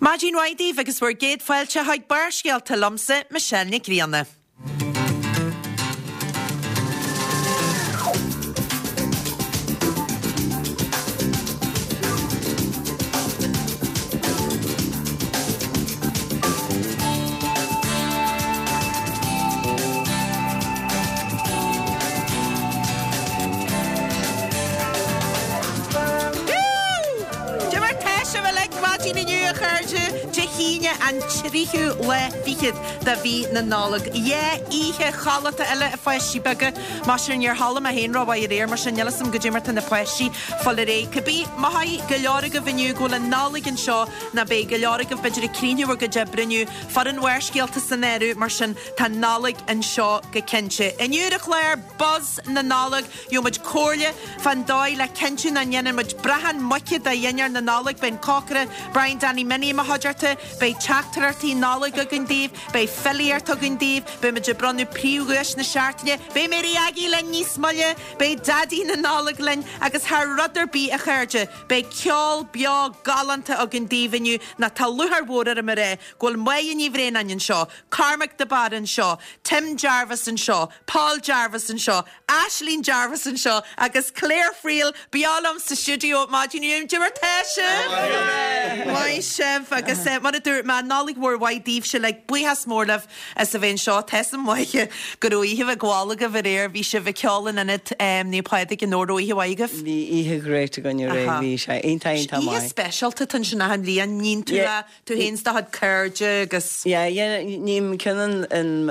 Maidin mhaith daoibh agus bhur gcéad fáilte chuig Barrscéalta liomsa, Michelle Nic Grianna. Cad é mar tá sibh uilig maidin inniu, a chairde? Dé hAoine an tríú lá fichead de mhí na Nollag. Dhá oíche chodlata eile a pháistí beaga. Más ea níor chodlaigh mé féin rómhaith aréir, mar sin níl 'fhios a'm goidé mar tá na páistí fáil ar aghaidh. Cibé, mothóidh go leor agaibh inniu go bhfuil an Nollaig anseo, nó beidh go leor agaibh b'fhéidir ag críochnú bhur gcuid oibre inniu, foireann Bharrscéalta san áireamh, mar sin tá an Nollaig anseo go cinnte. Inniu ar an chlár, Buzz na Nollag, gheobhaidh muid comhairle fán dóigh le cinntiú nach ndéanann muid brachán muice de dhinnéar na Nollag, beidh an cócaire Brian Danny Minnie i mo chuideachta, beidh teachtaireachtaí Nollag againn daoibh, beidh filíocht againn daoibh, beidh muid ag bronnadh príomhdhuais na seachtaine, beidh Mary Aggie linn níos moille, beidh Daidí na Nollag linn agus thar rud ar bith a chairde, beidh ceol beo galánta againn daoibh inniu nó tá lúcháir mhór orm a rá go bhfuil Máire Ní Bhraonáin anseo, Cormac de Barra anseo, Tim Jarvis anseo, Paul Jarvis anseo, Aisling Jarvis anseo agus Claire Friel beo liom sa stiúideo maidin inniu. Cad é mar tá sibh? Maith sibh agus mar a dúirt mé, Nollaig mhór mhaith daoibhse uilig, buíochas mór libh as a bheith anseo. Tá 'fhios a'm maith go raibh oíche mhaith gabháil agaibh aréir, bhí sibh ag ceol in ionad Naomh Pádraig in Dobhar, raibh oíche mhaith agaibh? Bhí oíche great againn aréir, bhí sé iontach iontach maith. Oíche speisialta atá ansin achan bhliain, níonn tú le Tú féin 's do chuid cairde agus. Yeah, yeah, ním ceann in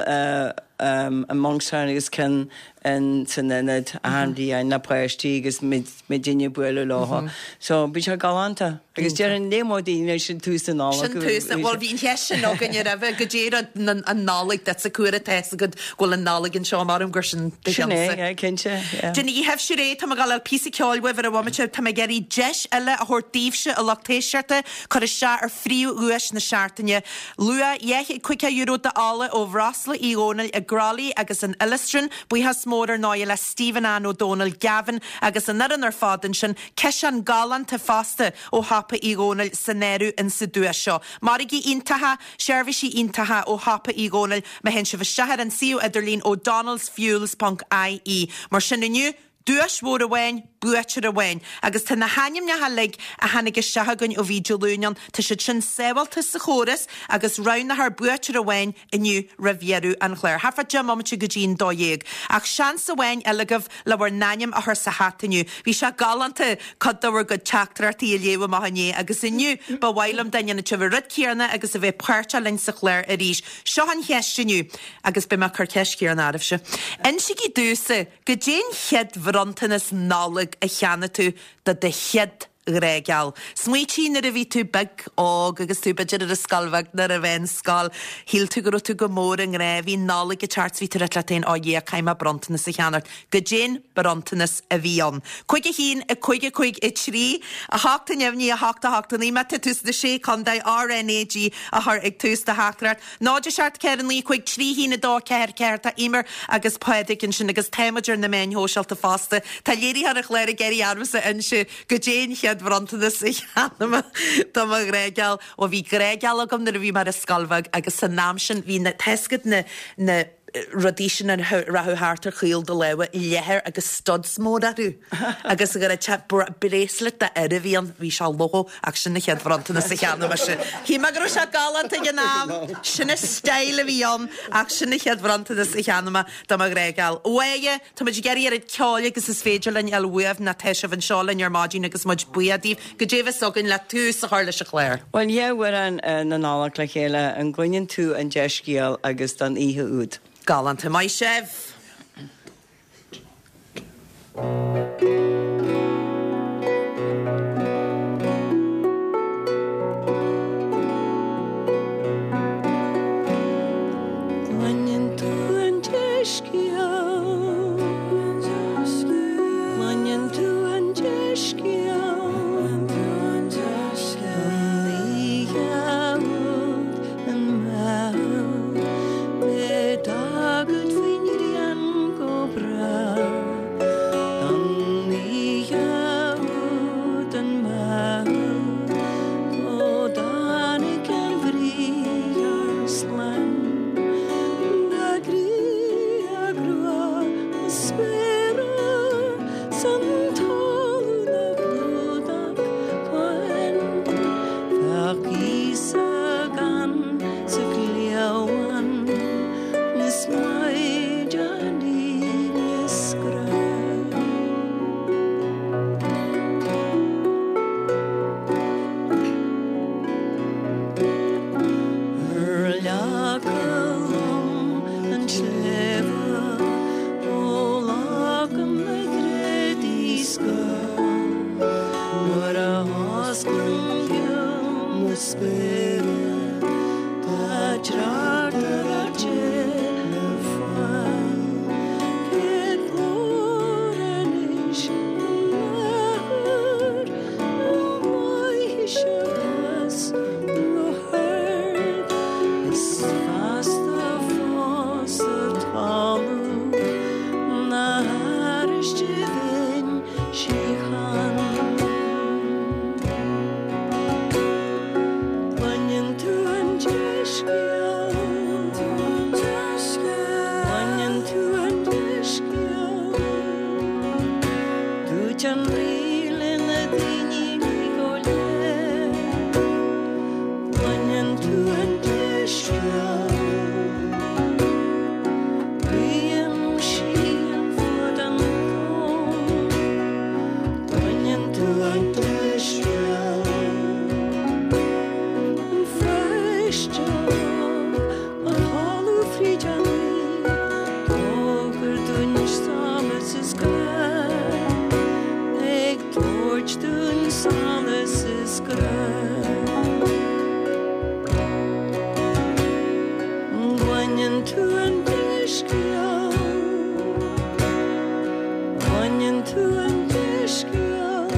in Monkstown agus ceann in san ionad achan bhliain le páistí agus muidinne ag bualadh leo. So bíonn sé galánta. Agus déarfainn léigh mo daoine sin tús na Nollag. Sin tús na, bhuel bhí an cheist sin againn roimhe, goidé rud an Nollaig duitse, cá huair atá 'fhios agat go bhfuil an Nollaig anseo, maram gur sin do Sin é, yeah, cinnte, yeah. Déanaigí sibhse réidh, tá mé ag dul a fháil píosa ceoil uaibh ar an bhomaite, tá mé ag iarraidh deis eile a thabhairt daoibhse a lucht éisteachta, Cur isteach ar phríomhdhuais na seachtaine. Luach €250 d'ola ó Bhreosla Uí Dhónaill i gCroithlí agus in Illistrin. Buíochas mór ar ndóigh le Stephen Ann Ó Dónaill, Gavin agus an fhoireann ar fad ansin. Ciseán galánta fosta ó shiopa Uí Dhónaill san áireamh insa duais seo. Margaí iontacha, seirbhísí iontacha ó shiopa Uí Dhónaill má théann sibh isteach ar an suíomh idirlín o'donnellsfuels ponc ie. Mar sin inniu, Duais mhór amháin, buaiteoir amháin. Agus tá na hainmneacha uilig a tháinig isteach againn ó bhí Dé Luain ann, tá siad sin sábhálta sa chóras agus roghnófar buaiteoir amháin inniu roimh dheireadh an chláir. Thart fá 10 mbomaite go dtí an 12. Ach seans amháin eile agaibh le bhur n-ainm a chur sa hata inniu. Bhí sé galánta cuid de bhur gcuid teachtaireachtaí a léamh amach inné agus inniu ba mhaith liom dá ndéanfadh sibh an rud céanna agus a bheith páirteach linn sa chlár arís. Seo an cheist inniu agus beidh mé ag cur ceist chéanna oraibhse. Insígí domhsa Goidé an chéad bhronntanas Nollag a cheannaigh tú do do chéad ghrá geal? Smaoitigh nuair a bhí tú beag, óg agus tú b'fhéidir ar an scoil bheag nó ar an mheánscoil, shíl tú go raibh tú go mór i ngrá, bhí an Nollaig ag teacht 's bhí tú ag rá leat féin, oh yeah, caithfidh mé bronntanas a cheannacht. Goidé an bronntanas a bhí ann? 5 1 5 5 3 8 neamhní 8 8 9 Má tá tú sna Sé Chontae, RNAG a chur ag tús do theachtaireacht. 0 7 4 9 5 3 1 2 4 4 Tá Eimear agus Pádraig ansin agus tá muid ar na meáin shóisialta fosta. Tá léiritheoir an chláir ag iarraidh ormsa inse goidé an chéad bhronntanas a cheannaigh mé do mo ghrá geal. Bhuel bhí grá geal agam nuair a bhí mé ar an scoil bheag agus san am sin bhí na, tá 'fhios agat na, na rudaí sin a rachadh thart ar chaol do lámha, leathair agus studs mór orthu agus go raibh sé bracelet d'fhear a bhí ann, bhí sé logo ach sin an chéad bhronntanas a cheannaigh mise. Shíl mé go raibh sé galánta ag an am, sin an style a bhí ann ach sin an chéad bhronntanas a cheannaigh mé do mo ghrá geal. Uaighe, tá muid ag iarraidh oiread ceoil agus is féidir linn a fháil uaibh nó tá sibh anseo linn ar maidin agus muid buíoch daoibh. Goidé a bheas againn le tús a chur leis an chlár? Bhuel, dhá amhrán na Nollag le chéile, An gcluineann tú an dea-scéal agus Don oíche úd. Galánta. Maith sibh! Cluineann tú an dea-scéal, cluineann tú an dea-scéal, Don oíche úd i mBeithil, beidh d'agat faoin ngrian go brách. píosa gann sa chliabhán is maighdean í 'mios grá. Ar leaca lom an tsléibhe ó leagaim na greadaí scáth Nuair a osclaím geal na spéire tá tráchtaireacht le fáil Cén glór anois an athuair an mbeidh sé as rothar Is feasta fós sa talamh na hAiriste bhinn síocháin. Cluineann tú an dea-scéal, Cluineann tú an dea-scéal. Dúirt an Rí le na daoine go léir, Cluineann tú an dea-scéal. Guím síon fud an domhain, Cluineann tú an dea-scéal. An pháiste óg á chodladh fríd an oíche, D'fhógair dúinn solas is grá, Ag tabhairt dúinn solas is grá. Cluineann tú an dea-scéal, Cluineann tú an dea-scéal.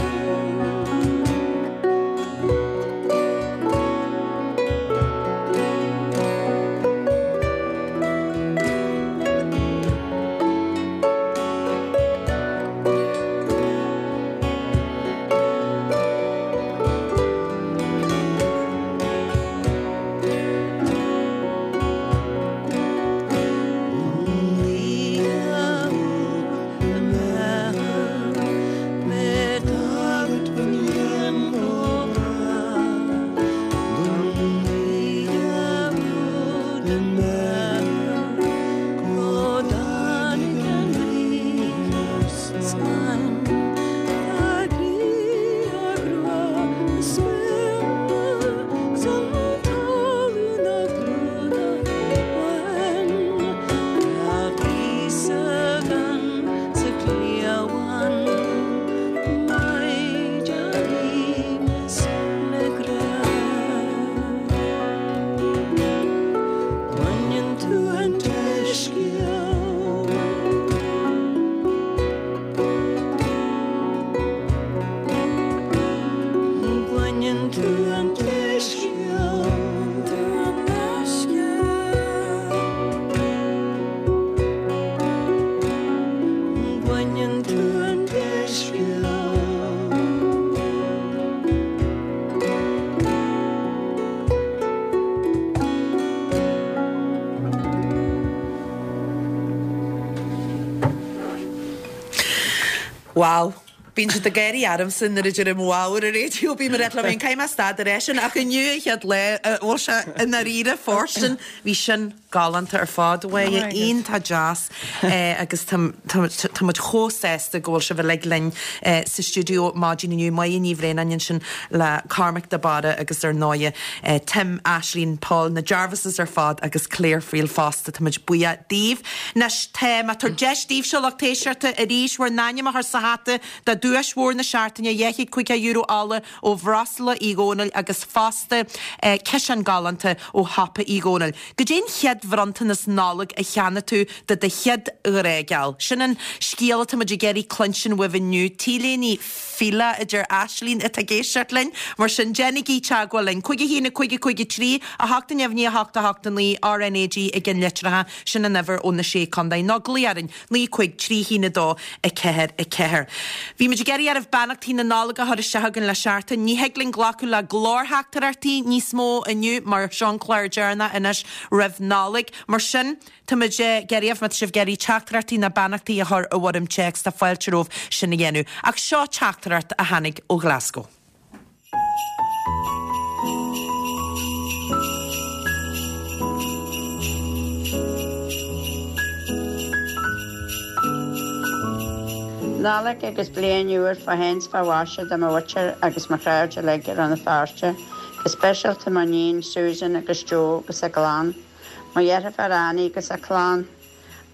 Cluineann tú an dea-scéal, tú an dea-scéal. Cluineann tú an dea-scéal. Wow. Bíonn siad ag gáirí ormsa nuair a deirim wow ar an raidió, bím ag rá liom féin, caithfidh mé stad de rá sin, ach inniu an chéad lá a bhfuil sé i ndáiríre fóirstean, bhí sin galánta ar fad, a Mháire, iontach deas agus tá tá muid chomh sásta go bhfuil sibh uilig linn sa stiúideo maidin inniu, Máire Ní Bhraonáin ansin le Cormac de Barra agus ar ndóighe Tim, Aisling, Paul, na Jarvises ar fad agus Claire Friel fosta, tá muid buíoch daoibh. Anois, tá mé ag tabhairt deis daoibhse, lucht éisteachta, arís bhur n-ainm a chur sa hata do duais mhór na seachtaine, €250 ola ó Bhreosla Uí Dhónaill agus fosta ciseán galánta ó Shiopa Uí Dhónaill. Goidé an chéad bhronntanas Nollag a cheannaigh tú do do chéad ghrá geal? Sin an scéal atá muid ag iarraidh cluinstin uaibh inniu. T-léine Fila a deir Aislinn atá ag éisteacht linn. Mar sin, déanaigí teagmháil linn. 5 1 5 5 3 8 0 9 8 8 9 RNAG i gceannlitreacha, sin an uimhir ó na Sé Contae. Nó glaoigh orainn, 9 5 3 1 2 4 4. Bhí muid ag iarraidh oraibh beannachtaí na Nollag a chur isteach chugainn le seachtain. Ní thig linn glacadh le glórtheachtaireachtaí níos mó inniu mar seo an clár deireanach anois roimh Nollaig. Mar sin, Tá muid ag iarraidh, má tá sibh ag iarraidh teachtaireachtaí ná beannachtaí a chur i bhfoirm téacs, tá fáilte romhaibh sin a dhéanamh. Ach seo teachtaireacht a tháinig ó Ghlaschú. Nollaig agus Bliain Úr fá shéan 's fá mhaise do mo mhuintir agus mo chairde uilig i Rann na Feirste, go speisialta mo níon Susan agus Joe agus a gclann, mo dheirfiúr Annie agus a clann,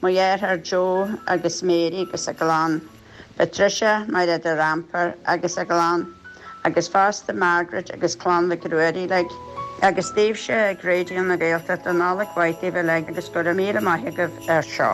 mo dheartháir Joe agus Mary agus a gclann, Patricia, Mairéad de Rampar agus a gclann, agus fosta Margaret agus clann Mhic Ruairí uilig. Agus daoibhse ag Raidió na Gaeltachta, Nollaig mhaith daoibh uilig agus go raibh míle maith agaibh ar seo.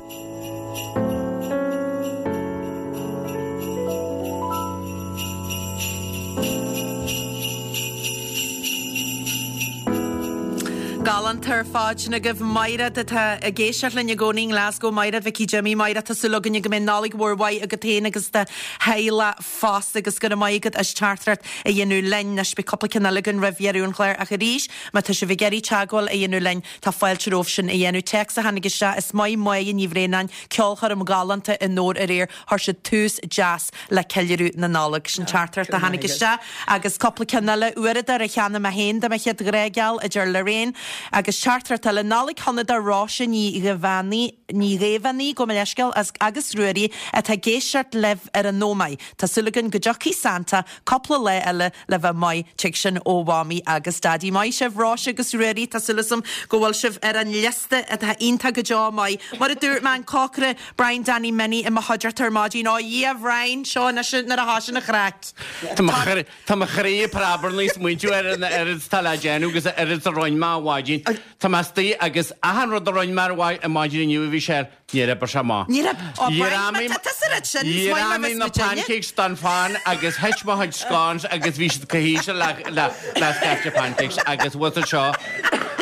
Galánta ar fad sin agaibh. Maighread atá ag éisteacht linn i gcónaí i nGlasgow. Maighread Mhicí Jimí. Maighread, tá súil againne go mbeidh Nollaig mhór mhaith agat féin agus do theaghlach fosta agus go raibh maith agat as teachtaireacht a dhéanamh linn. Anois beidh cúpla ceann eile againn roimh dheireadh an chláir ach arís má tá sibh ag iarraidh teagmháil a dhéanamh linn tá fáilte romhaibh sin a dhéanamh. Téacs a tháinig isteach, Is maith Máire Ní Bhraonáin, ceolchoirm ghalánta i nDobhar aréir. Chuir siad tús deas le ceiliúradh na Nollag. Sin teachtaireacht a tháinig isteach agus cúpla ceann eile, uaireadóir a cheannaigh mé féin do mo chéad ghrá geal, a deir Lorraine. Agus teachtaireacht eile, Nollaig shona do Róise Ní Ghaibheannaigh, Ní Ghaibheannaigh, gabh mo leithscéal, as agus Ruairí atá ag éisteacht libh ar an Ómaigh. Tá súil againn go dtiocfaidh Santa cúpla lá eile le bheith maith, tig sin ó Mhamaí agus Daidí. Maith sibh Róise agus Ruairí, tá súil agam go bhfuil sibh ar an liosta atá iontach go deo maith. Mar a dúirt mé, an cócaire Brian Danny Minnie i mo chuideachta ar maidin. Ó a Dhia, a Bhrian, seo anois nuair a thosaíonn an chraic. Tá mo chroí ag preabarnaigh ag smaointiú ar an oiread atá le déanamh agus an oiread a rinne mé ar maidin. Tá mé istigh agus achan rud a rinne mé ar maidin inniu a bhí sé ar Níor oibrigh sé amach. Níor oibrigh. Ó Brian, má tá tusa rud sin, is maith mar bheas na pancakes don phan agus thit mo chuid scones agus bhí siad go híseal le le le scaifte pancakes agus bhfuil tú seo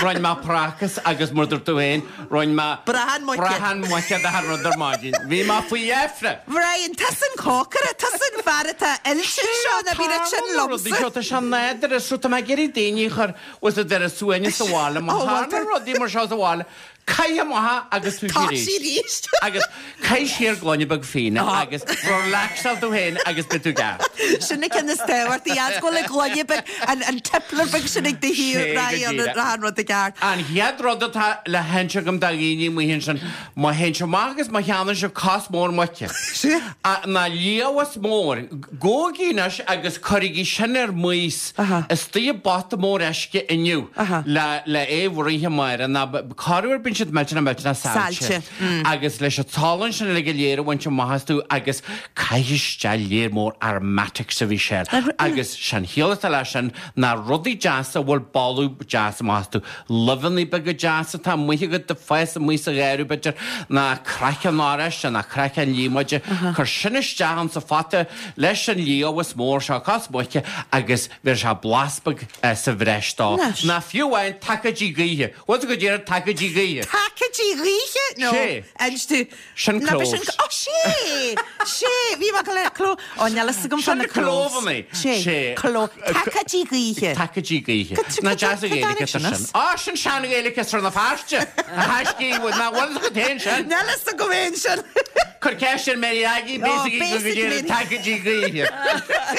rinne mé prácas agus mar dúirt tú féin rinne mé Brachán muice. brachán muice d'achan rud ar maidin. Bhí mé faoi dheifre. Brian, tusa an cócaire, tusa an fear atá oilte anseo, ná bí rud sin liomsa. Seo tá sé nádúrtha, so tá mé ag iarraidh daoine a chur bhfuil siad ar a suaimhneas sa bhaile, má tharla rudaí mar seo sa bhaile, Caith amach agus tú Tá sí arís. Agus caith siar gloine beag fíona agus relaxáil tú féin agus beidh tú ceart. Sin an ceann is tábhachtaí, as go bhfuil an gloine beag, an tippler beag sin ag do thaobh, raghaidh an raghaidh an rud i gceart. An chéad rud atá le hinse agam do dhaoine amuigh ansin, má théann sibh amach agus má cheannaíonn sibh cos mór muice, ná liamhás mór, gabhaigí anois agus cuirigí sin ar maos Istigh i bpota mór uisce inniu le é a bhruith amárach ná corruair bíonn siad millteanach millteanach saillte agus leis an tsalann sin uilig go léir a bhaint amach astu agus caith isteach léar mór aromatics a Mhichelle agus sé'n chiall atá leis sin ná rudaí deasa a bhfuil boladh deas amach astu, luibheanna beaga deasa atá amuigh agat ag fás amuigh sa gharradh b'fhéidir ná craiceann oráiste ná craiceann líomóide, cuir sin isteach insa phota Leis an liamhás mór seo cos muice agus bheir sé blas beag sa bhreis dó. Ná fiú amháin tacaidí gaoithe. Bhfuil tú go díreach tacaidí gaoithe? Tacaidí gaoithe? No. Sé. Inis tú. Sin Ná cloves. sin Ó sé! Sé! Bhí mé go le cló. Ó níl fhios agam fá Sin na cloves. clóbhanna. Sé. Sé. Cló. Tacaidí gaoithe. Tacaidí gaoithe. Cad- Ná cad- deas a cad Ghaeilge tháinig ar sin sin. as? Á sin sean-Ghaeilge as Rann na Feirste. A thaiscí, nach bhfuil fhios agat féin sin. Níl fhios agam féin sin. Cuir ceist ar Mary Aggie, Oh, basically go basic dtí Mary. tacaidí gaoithe.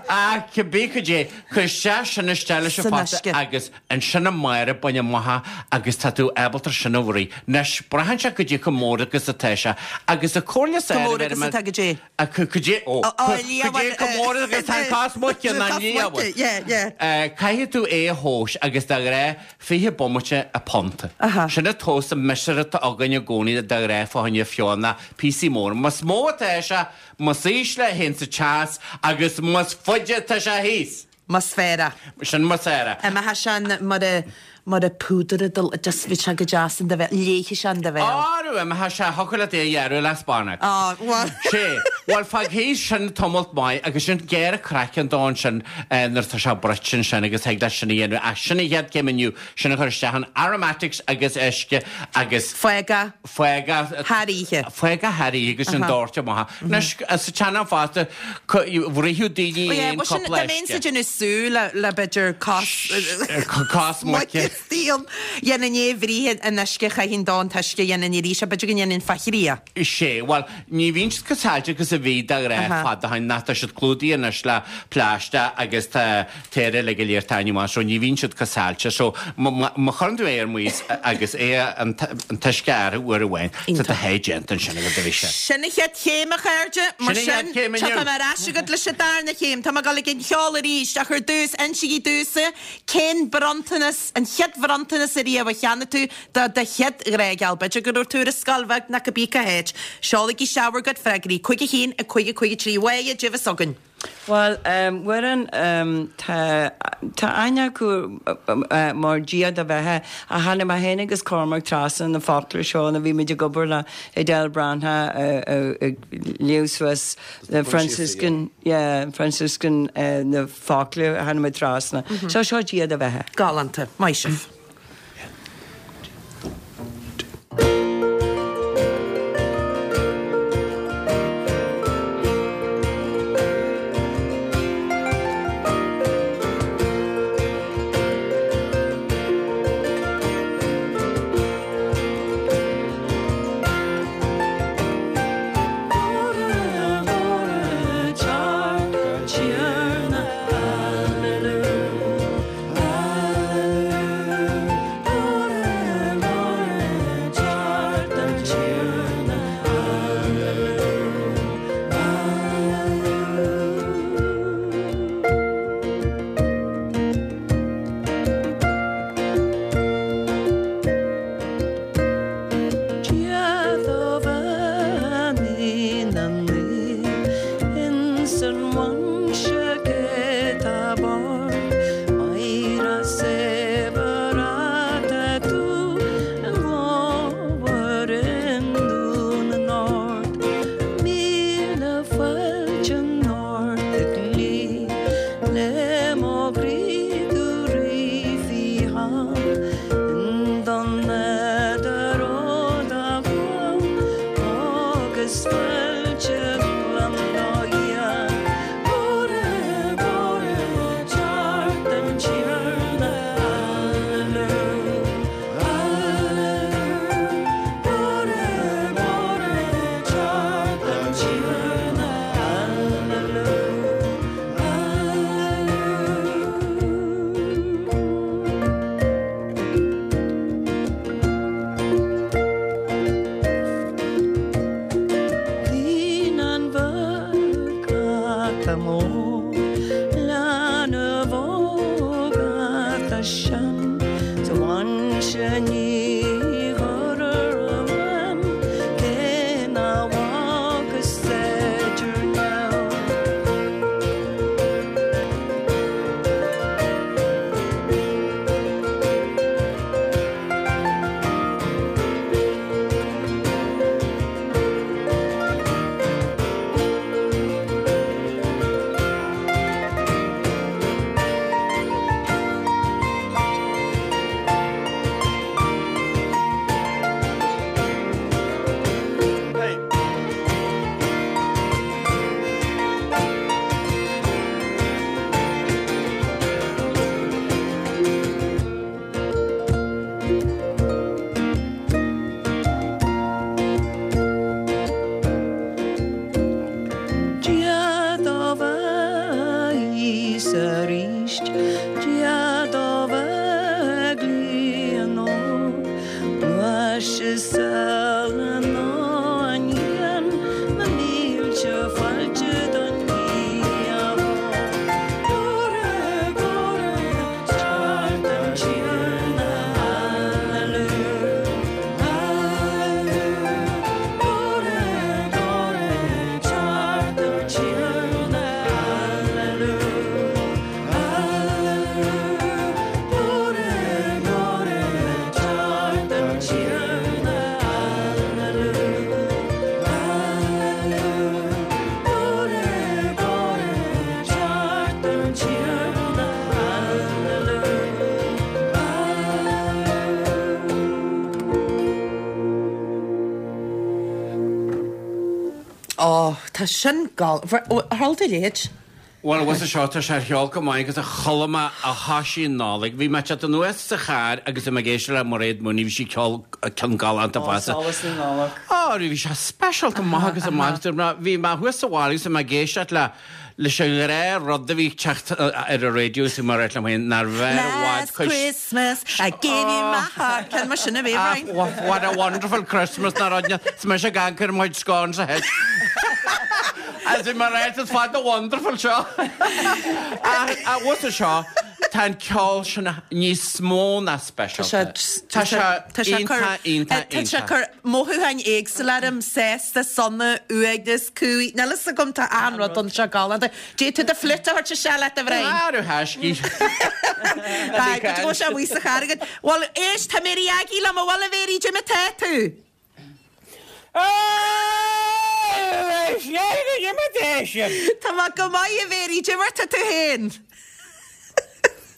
Ach cibé cad é, cuir isteach sin isteach leis an San phota uisce. agus ansin amárach bain amach é agus tá tú ábalta sin a bhruith. Anois, braitheann sé cad é chomh mór agus atá sé agus an chomhairle is Chomh fearr mór a bheir agus mé- atá cad é? A cad é, ó, Ó, ó, cad liamh é chomh mór agus atá an cos muice ná Cos liamh. muice, yeah, yeah. Caithfidh tú é a thomhas agus de ghnáth 20 bomaite an punt. Sin an tomhas an miosúr atá againn i gcónaí de ghnáth fá choinne feoil ná píosaí móra. Más mó atá sé, más ísle a théann an teas agus más faide atá sé thíos. Más fearr é. Sin más fearr é. Imeoidh sé an mar a mar a púdar a dul just bhí sé go deas in do bhéal, léifidh sé in do bhéal. Arú, imeoidh sé, thiocfadh leat é a ghearradh le spannach. Á, bhuel. Sé, bhuel fág thíos sin tamalt maith agus sin gearr an craiceann dó ansin nuair atá sé bruite ansin agus thig leat sin a dhéanamh ach sin an chéad céim inniu, sin a chur isteach in aromatics agus uisce agus. Fág é. Fág é. Thar oíche. Fág é thar oíche agus sin doirte amach. Anois, sa tsean-am fosta, bhruitheadh daoine Ó yeah, aon bhuel sin, cúpla dá mbeinnse uisce. ag déanamh sú le, le b'fhéidir cos. Cos muice. Steel. Dhéanfainn é a bhruith in uisce, chaithfinn dó an t-uisce, dhéanfainn arís é, b'fhéidir go ndéanfainn fá thrí é. Sé, bhuel, ní bhíonn siad chomh saillte agus. is a bhí de ghnáth fad ó shin ach tá siad clúdaithe anois le plaisteach agus tá tar uilig go léir taitneamh as so ní bhíonn siad chomh saillte so má chuireann tú é ar maos agus é an t-uisce air uair amháin tá do sháith déanta ansin agat a bhí sé. Sin an chéad chéim a chairde, mar sin tiocfaidh mé ar ais chugat leis an darna chéim. Tá mé ag dul ag an cheol arís ach ar dtús insígí domhsa cén bronntanas, an chéad bhronntanas ariamh a cheannaigh tú do do chéad ghrá geal. B'fhéidir go raibh tú ar an scoil bheag nó cibé cá háit. Seolaigí isteach bhur gcuid freagraí 5 1 5 5 3 Mháire, caidé atá againn. Bhuel, Mhuireann, tá tá aithne acu mar Dia do Bheatha ach tháinig mé féin agus Cormac trasna na focla seo nuair a bhí muid ag obair le Edel Breathnach ag léamh suas na Franciscan, yeah, Franciscan na focla a tháinig muid trasna. So seo Dia do Bheatha. Galánta. Maith sibh. Ó, tá sin gal. Ar chuala tú a leithéid? Bhuel, bhfuil a fhios seo, tá sé ar cheol go maith agus a chuala mé a thoisigh an Nollaig. Bhí mé ag teacht anuas sa charr agus bhí mé ag éisteacht le Mairéad Mooney, bhí sí ag ceol ceann galánta Ó, fosta. Solas na Nollag. Ó, bhí sé speisialta maith agus amach. Bhí mé thuas sa bhaile agus bhí mé ag éisteacht le leis an ghnáth rud a bhí ag teacht ar an raidió is bhí mé ag rá liom féin nár bhfearr i bhfad Last cuid Christmas I gave you my heart. Ceann mar sin a bhí, Ah, Brian. what, what a wonderful Christmas ná rud 's mise ag amharc ar mo chuid scórn sa theach. As in mar is fada wonderful seo. Ach a bhfuil a fhios seo, tá an ceol sin níos mó ná speisialta. Tá sé iontach, iontach, Tá sé iontach. cur mothúcháin éagsúla orm, sásta, sona, uaigneas, cumhaidh, níl fhios agam, tá achan rud ann seo galánta. D'fhéadfadh tú do fliúit a thabhairt isteach leat a Bhriain. Arú thaiscí. Tá, go dtí go bhfuil sé amuigh sa charr agat. Bhuel, éist, tá Mary Aggie liom, a bhfuil a Mhary, cad é mar tá tú? Tá mé go maith a Mhary, cad é mar tá tú féin?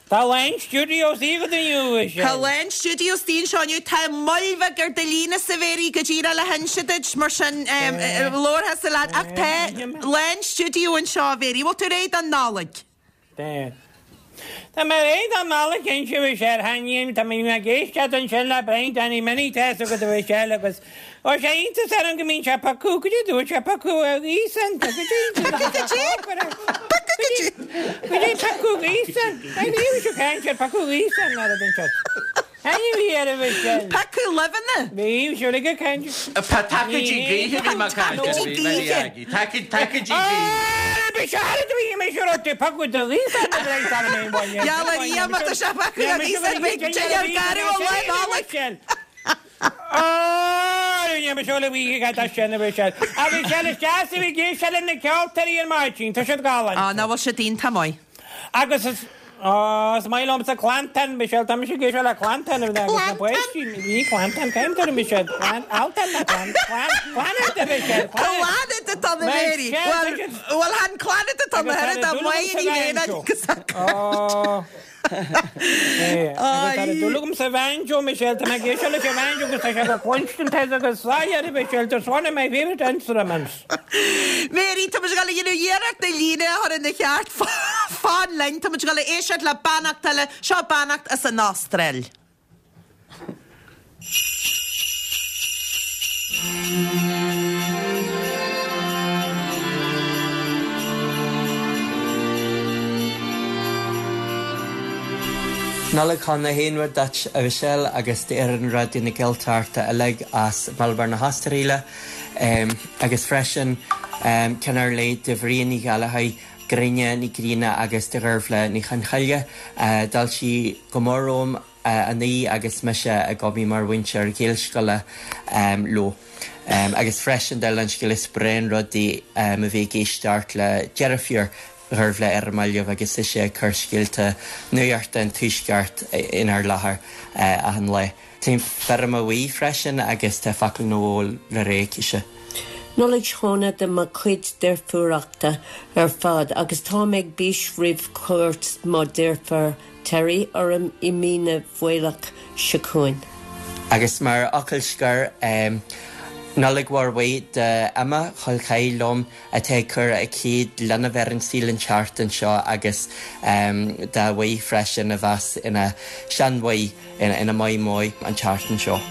Tá lán stiúideo istigh agat inniu, a Mhichelle. Tá lán stiúideo istigh anseo inniu. Tá moill bheag ar do líne-sa a Mhary go díreach le hinse duit, mar sin labharfadh-sa leat. Ach tá lán stiúideo anseo a Mhary. Bhfuil tú réidh don Nollaig? Tá. Tá mé réidh don Nollaig cinnte, a Mhichelle. Thaitníonn, tá mé ag éisteacht ansin le Brian Danny Minnie, tá fhios agat a Mhichelle agus ó sé iontas orm go mbíonn sé piocadh, goidé dúirt sé piocadh a ghaoth san, goidé Piocadh goidé? Piocadh goidé? Goidé piocadh gaoth san? Ní raibh sé caint ar piocadh gaoth san ná rud anseo. Ainm bhí ar a Mhichelle. Piocadh luibheanna. Bhí, bhí sé ag caint. Tacaidí gaoithe a bhí mé ag caint air, a bhí Mary Aggie. Tacaidí gaoithe. Gheall ar Dhia má tá sé piocadh a ghaoth san beidh dinnéar garbh an lá Nollag. Á, nach bhfuil siad iontach maith. Agus is, ó, is maith liomsa Clantan, Michelle, tá mise ag éisteacht le Clantan agus na páistí, ní Clantan, caim tar Michelle, Clan, Altan na Clan, Clan, Clannad a Michelle, Clannad. Clannad atá na Mary. Bhuel, bhuel, chan Clannad atá na hoiread ach maith ní bhéinn agus a Ó, é, agus tá dúil agam sa bhanjo, Michelle, tá mé ag éisteacht leis an bhanjo agus tá sé go cluinstin agus soiléir, Michelle, that's one of my favourite instruments. Mary, tá muid ag dul a dhéanamh iarracht do líne a chur ina cheart. Fan linn, tá muid ag dul a éisteacht le beannacht eile. Seo beannacht as an Astráil. Nollaig shona haon rud duit, a Mhichelle, agus d'fhoireann Raidió na Gaeltachta uilig as Melbourne na hAstráile. Agus freisin, ceann ar leith do Mharia Ní Ghallchóir, Gráinne Ní Ghrianna agus do Dheirbhle Ní Chonchoille. D'fháiltigh go mór romham inné agus mise ag obair mar mhúinteoir Gaelscoile leo. Agus freisin, dála an scéil, is breá an rud é a bheith ag éisteacht le deirfiúr Dheirbhle ar an mbaile agus ise ag cur scéalta nuachta an Tuaisceart inár láthair achan lá. Tá an Feirme Bhuí freisin agus tá focal nó dhó le rá aicise. Nollaig shona do mo chuid deirfiúracha ar fad agus táim ag bís roimh chuairt mo deirfiúr Terry orm i mí na bhFaoilleach seo chugainn. Agus mar fhocal scoir, Nollaig mhór mhaith do Emma, col ceathar liom, atá ag cur a céad linbh ar an saol an tseachtain seo agus dá mhaí freisin a bheas ina seanmhaí, ina maimeo an tseachtain seo.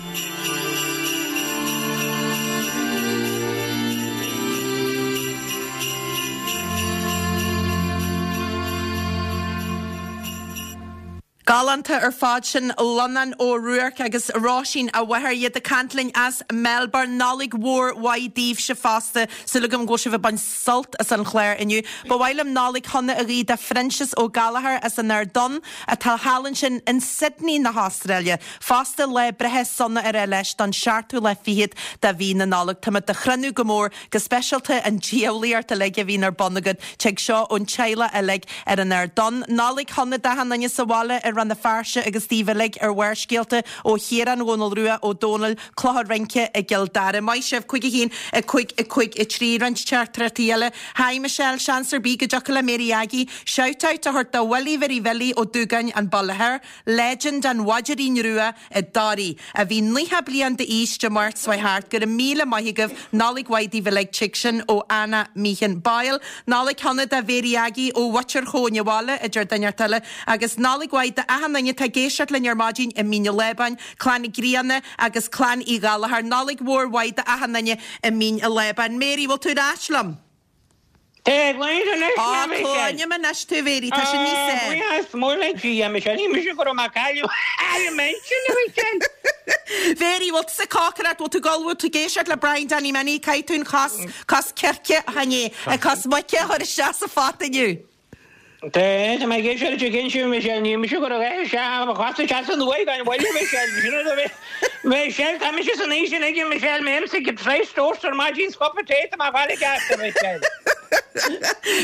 Galánta ar fad sin Lonán Ó Ruairc agus Róisín a mháthair, iad ag caint linn as Melbourne. Nollaig mhór mhaith daoibhse fosta. Súil agam go bhfuil sibh ag baint sult as an chlár inniu. Ba mhaith liom Nollaig shona a ghuí do Phroinsias Ó Gallchóir as an Ard Donn atá thall ansin in Sydney na hAstráile. Fosta lá breithe sona a rá leis don seachtú lá fichead de mhí na Nollag. Táimid do chrothú go mór Go speisialta an diabhlaíocht uilig a bhíonn ar bun agat. Tig seo ón teaghlach uilig ar an Ard Donn. Nollaig shona d'achan duine sa bhaile i Rann na. na Feirste agus daoibh uilig ar Bharrscéalta ó Chiarán Dhónaill Rua Ó Dónaill, Clochar Rince i gCill Dara. Maith sibh, 5 1, 5 5 3, roinnt teachtaireachtaí eile. Hi Michelle, seans ar bith go dtiocfadh le Mary Aggie shout out a thabhairt do Willie Mhary Bhilly Ó Dúgáin, an Baile Thoir, legend an Mhaidirín Rua i dToraigh, a bhí 90 bliain d'aois Dé Máirt seo thart. Go raibh míle maith agaibh. Nollaig mhaith daoibh uilig. Tig sin ó Anna Meehan Boyle. Nollaig shona do Mhary Aggie ó Mhuintir Chóin Abhaile, a deir duine inteacht eile. Agus Nollaig mhaith d'achan duine atá ag éisteacht linn ar maidin i Mín an Lábáin, Clann Uí Ghrianna agus Clann Uí Ghallchóir. Nollaig mhór mhaith d'achan duine i Mín an Lábáin. Mary, bhfuil tú ar ais liom? Tá ag labhairt anois, Á, a Mhichelle. cluinim anois tú, a Mhary, tá sé níos Á, fearr. buíochas mór le Dia, a Michelle. Ní mise go raibh mé ag cailleadh ar m'intinn, a Mhichelle. Mhary, bhfuil tusa ag cócaireacht, bhfuil tú ag ullmhú, tú ag éisteacht le Brian Danny Minnie, caithfidh tú an chos, cos circe, chan é, an cos muice a chur isteach sa phota inniu. Tá, tá mé ag éisteacht leis an gcinseamh, Michelle, ní mise go raibh a isteach, mo chos isteach san uaigh gan mhoill, a Mhichelle, sin rud a bhí, Michelle, tá mise san aois sin aige, Michelle, mé ag ithe toast ar maidin, 's cupa tae, tá mé ag fáil i gceart, a Mhichelle.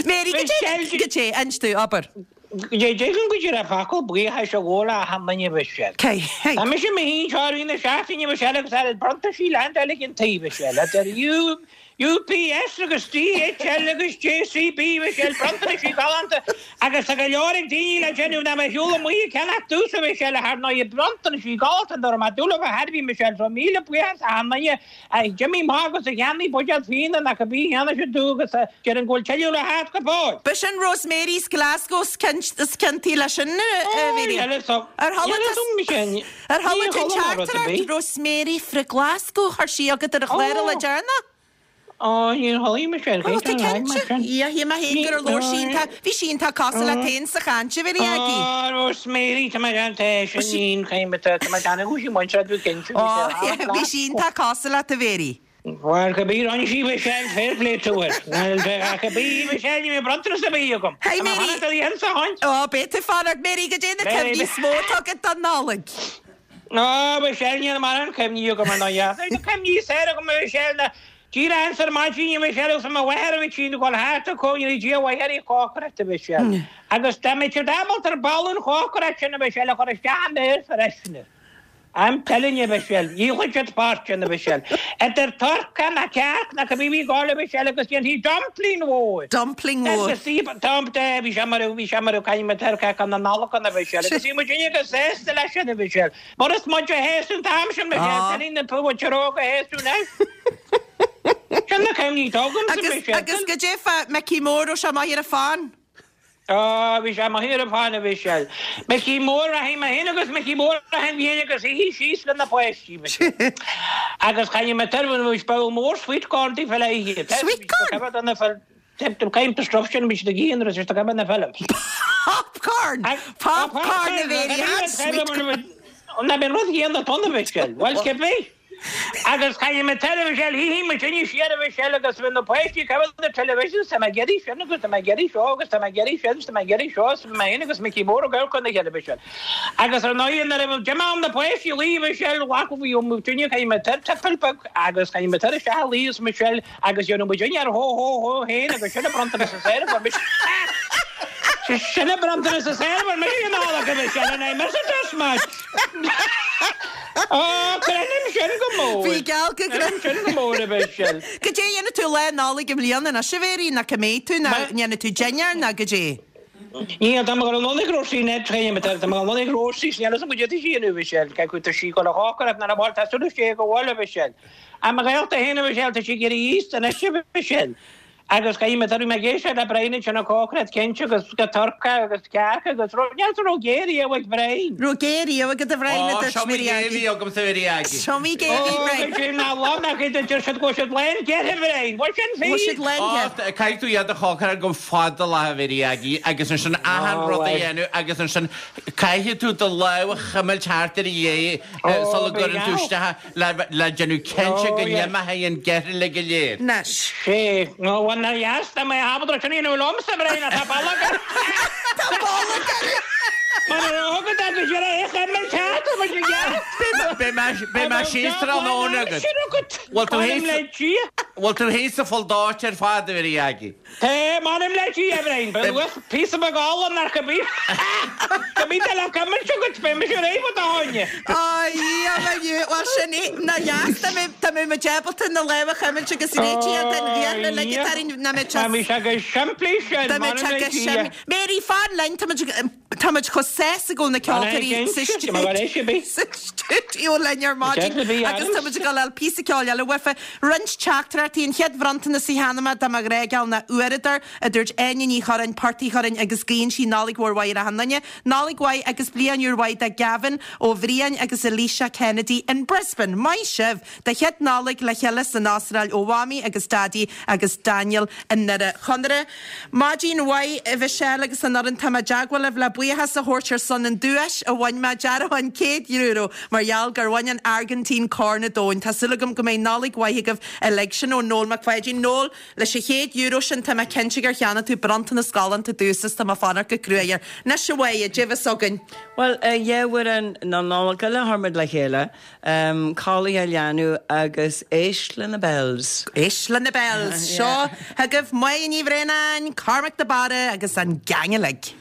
Mary, go dté, Michelle, go dté, inis domh, abair. Go dté, déarfainn go dté focal buíochais a ghabháil le achan duine, a Mhichelle. Cé, hey. Tá mise i mo shuí anseo i rith na seachtaine, a Mhichelle, agus tá bronntaisí leaindeáil ag an taobh, a Mhichelle, idir U, UPS agus DHL agus JCB Michelle, bronntanaisí galánta agus tá go leor ag daoine le déanamh ná bheith shiúl amuigh ag ceannach domhsa Michelle ar ndóigh bronntanaisí galánta dá raibh mé dúil a thairbhí Michelle so míle buíochas achan duine a d'imigh amach agus a cheannaigh buidéal fíona nó cibé a cheannaigh siad domh agus a deireann go bhfuil tuilleadh le theacht go fóill. B'shin Rosemary's Glasgow is ciontaí leis sin a Mhary. Ar chuala tú an teachtaireacht Rosemary fra Glasgow chuir sí agat ar an chlár le deireanach? Ó, níor chuala mise ar Ó, tá cinnte. Ia, shíl mé féin gur labhair sí iontach, bhí sí iontach cosúil leat féin sa chaint, a Mhary Aggie. Ó, Rosemary, tá mé gan tá sin ní chaim tá mé gan go sí muintir tú cinnte. Ó, bhí sí iontach cosúil leat, a Mhary. Bhuel, cibé rinne sí Michelle, fair play to her. Cibé Michelle, ní bheidh bronntanas ar bith agam. Hey Mary! Ó, beidh tú fanacht. Mary, goidé na cuimhní is mó atá agat don Nollaig? Ó, Michelle, níl mórán cuimhní agam ar ndóigh. Tá na cuimhní is fearr agam, a Mhichelle, ná díreach ins ar maidin, a Mhichelle, agus mo mháthair a bhí tinn ag dul thart ag cónaí Dia mháthair í chócaireacht, a Mhichelle. Agus dá mbeadh siad ábalta ar ball an chócaireacht sin, a Mhichelle, a chur isteach i m'aer freshener. I'm telling you, a Mhichelle, dhíolfadh siad fortune, a Mhichelle. Idir turcaí ná cearc ná cibé bhí ag gabháil, a Mhichelle, agus dhéanfaí dumpling mhór. Dumpling mhór. Agus bhí, bhí sé mar, bhí sé mar a caithfidh mé turcaí na Nollag ann, a Mhichelle, agus bhí muid uilig go sásta leis sin, a Mhichelle. Mar is muid a théas an t-am sin, Michelle, teinín na púite óga a théas tú anois. Sin na cuimhní atá agamsa, Agus, Michelle. agus goidé fá Micí Mór, raibh sé maith ar an phon? Á, bhí sé maith ar an phon, a Mhichelle. Micí Mór, rachaidh mé féin agus Micí Mór achan bhliain agus ithí síos le na páistí, Michelle. Agus chaith mé turbh, bhí bowl mór sweet corn daofa le hithe. Sweet corn? Caithfidh the stuff sin, bhí siad ag ithe nuair is ag na films. Popcorn! Popcorn a Mhary, had sweet corn. Ná bíonn rud chéanna tonna, Michelle. Bhuel, cibé. Agus chaith mé turbh, Michelle, hí muid inní siar, a Mhichelle, agus bhí na páistí ag cabhail na television, tá mé ag iarraidh sin agus tá mé ag iarraidh seo agus tá mé ag iarraidh sin, tá mé ag iarraidh seo, is bhí mé féin agus Micí Mór ag amharc ar na cheile, Michelle. Agus ar ndóigh, nuair a d'imigh am na páistí luí, Michelle, ghlac bhí muid inní, chaith mé turbh teipeal beag agus chaith mé turbh isteach a luí is Michelle agus dhéanadh muid inní ar hó hó hó féin agus sin a bronntanas is fearr a fuair mise. Sin a bronntanas is fearr a fuair mise in all acu, Michelle, and I miss it as much. Ó, creidim sin go mór. Bhí geall go Creidim sin go mór, a Mhichelle. Goidé a dhéanfaidh tú Lá Nollag i mbliana anois, a Mhéirí, nó cá mbeidh tú, nó ndéanfaidh tú dinnéar, nó goidé? Níl, tá mé ag dul anonn ag Róisín Ned, tá mé ag dul anonn ag Róisín, níl fhios agam goidé atá sí a dhéanamh, a Mhichelle, cé acu tá sí ag dul a chócaireacht nó an bhfuil, tá súil istigh go bhfuil, a Mhichelle. Ach mo ghaolta féin, a Mhichelle, tá sí ag éirí aosta anois, a Mhichelle. Agus caithfidh mé tabharfaidh mé ag éisteacht le Brian ansin ag cócaireacht cinnte agus go turcaí agus cearca agus rud níl sa raibh gé riamh ag Brian. Raibh gé riamh agat a Bhriain a Ó, dúirt seo mo Mary gé a Aggie. bhí agamsa a Mhary Aggie. Seo mo gé a bhí Ó, Brian. go dtí ná lá nach iad a deir siad go bhfuil siad lán geirthe Bhriain. Bhfuil sin Bhfuil siad fíor? lán Ó, geirthe. caithfidh tú iad a chócaireacht go fada lá a Mhary Aggie agus ansin achan Ó, rud a bhuel. dhéanamh agus ansin caithfidh tú do lámh a chuimilt thart ar a dhéidh Ó, sula bhí gcuireann tú geall. isteach le déanamh cinnte go n-imeoidh an geirthe uilig go léir. Anois. Sé, nó bhuel nár dheas dá mbeadh ábalta sin a dhéanamh liomsa, Brian, tá bolg orm. Tá bolg orm. Mar a raibh agat agus ar a chuimilt thart ar mo ghearr. Beidh mé síos tráthnóna agat. Bhfuil tú thíos? Bhfuil tú féin sa pholl dóite ar fad, a Mhary Aggie? Tá, m'anam le Dia, a Bhriain, ba luas píosa beag ola nach go mbí go mbí tú le cuimilt agat, beidh mise réidh fá do choinne. Á, Dhia mo dhiaidh, bhuel sin é, ná dheas, tá mé, tá mé muid ábalta na lámha a chuimilt agus réitithe den bhfiacla le go tarraing, ná mé Tá mé sé go simplí sin, Tá mé m'anam le go Dia. simplí. Mary, fan linn, tá muid, Tá muid chomh sásta go bhfuil na ceoltóirí sa stiúideo linn ar maidin agus tá muid ag dul a fháil píosa ceoil eile uafa. Roinnt teachtaireachtaí, an chéad bhronntanas a cheannaigh mé do mo ghrá geal ná uaireadóir, a dúirt Áine Ní Churráin, Port Uí Churráin agus guíonn sí Nollaig mhór mhaith ar achan duine. Nollaig mhaith agus bliain úr mhaith do Gavin ó Bhriain agus Alicia Kennedy in Brisbane. Maith sibh! Do chéad Nollaig le chéile san Astráil ó Mhamaí agus Daidí agus Daniel i nDoire Chonaire. Maidin mhaith a Mhichelle agus an fhoireann Tá mé i dteagmháil libh le buíochas a thabhairt ar son an duais a bhain mé, dearbhán €100, mar gheall gur bhain an Airgintín Corn an Domhain. Tá súil agam go mbeidh Nollaig mhaith agaibh uilig. Sin ó Noel Mac Pháidín. Noel, leis an €100 sin tá mé cinnte gur cheannaigh tú bronntanas galánta domhsa is tá mé ag fanacht go cruaidh air. Anois a Mháire, caidé bheas againn. Bhuel, yeah, amhrán na Nollag eile a chuir muid le chéile. Codlaigh a leanbh agus éist le na bells. Éist le na bells. Seo chugaibh Máire Ní Bhraonáin, Cormac de Barra agus an gang uilig.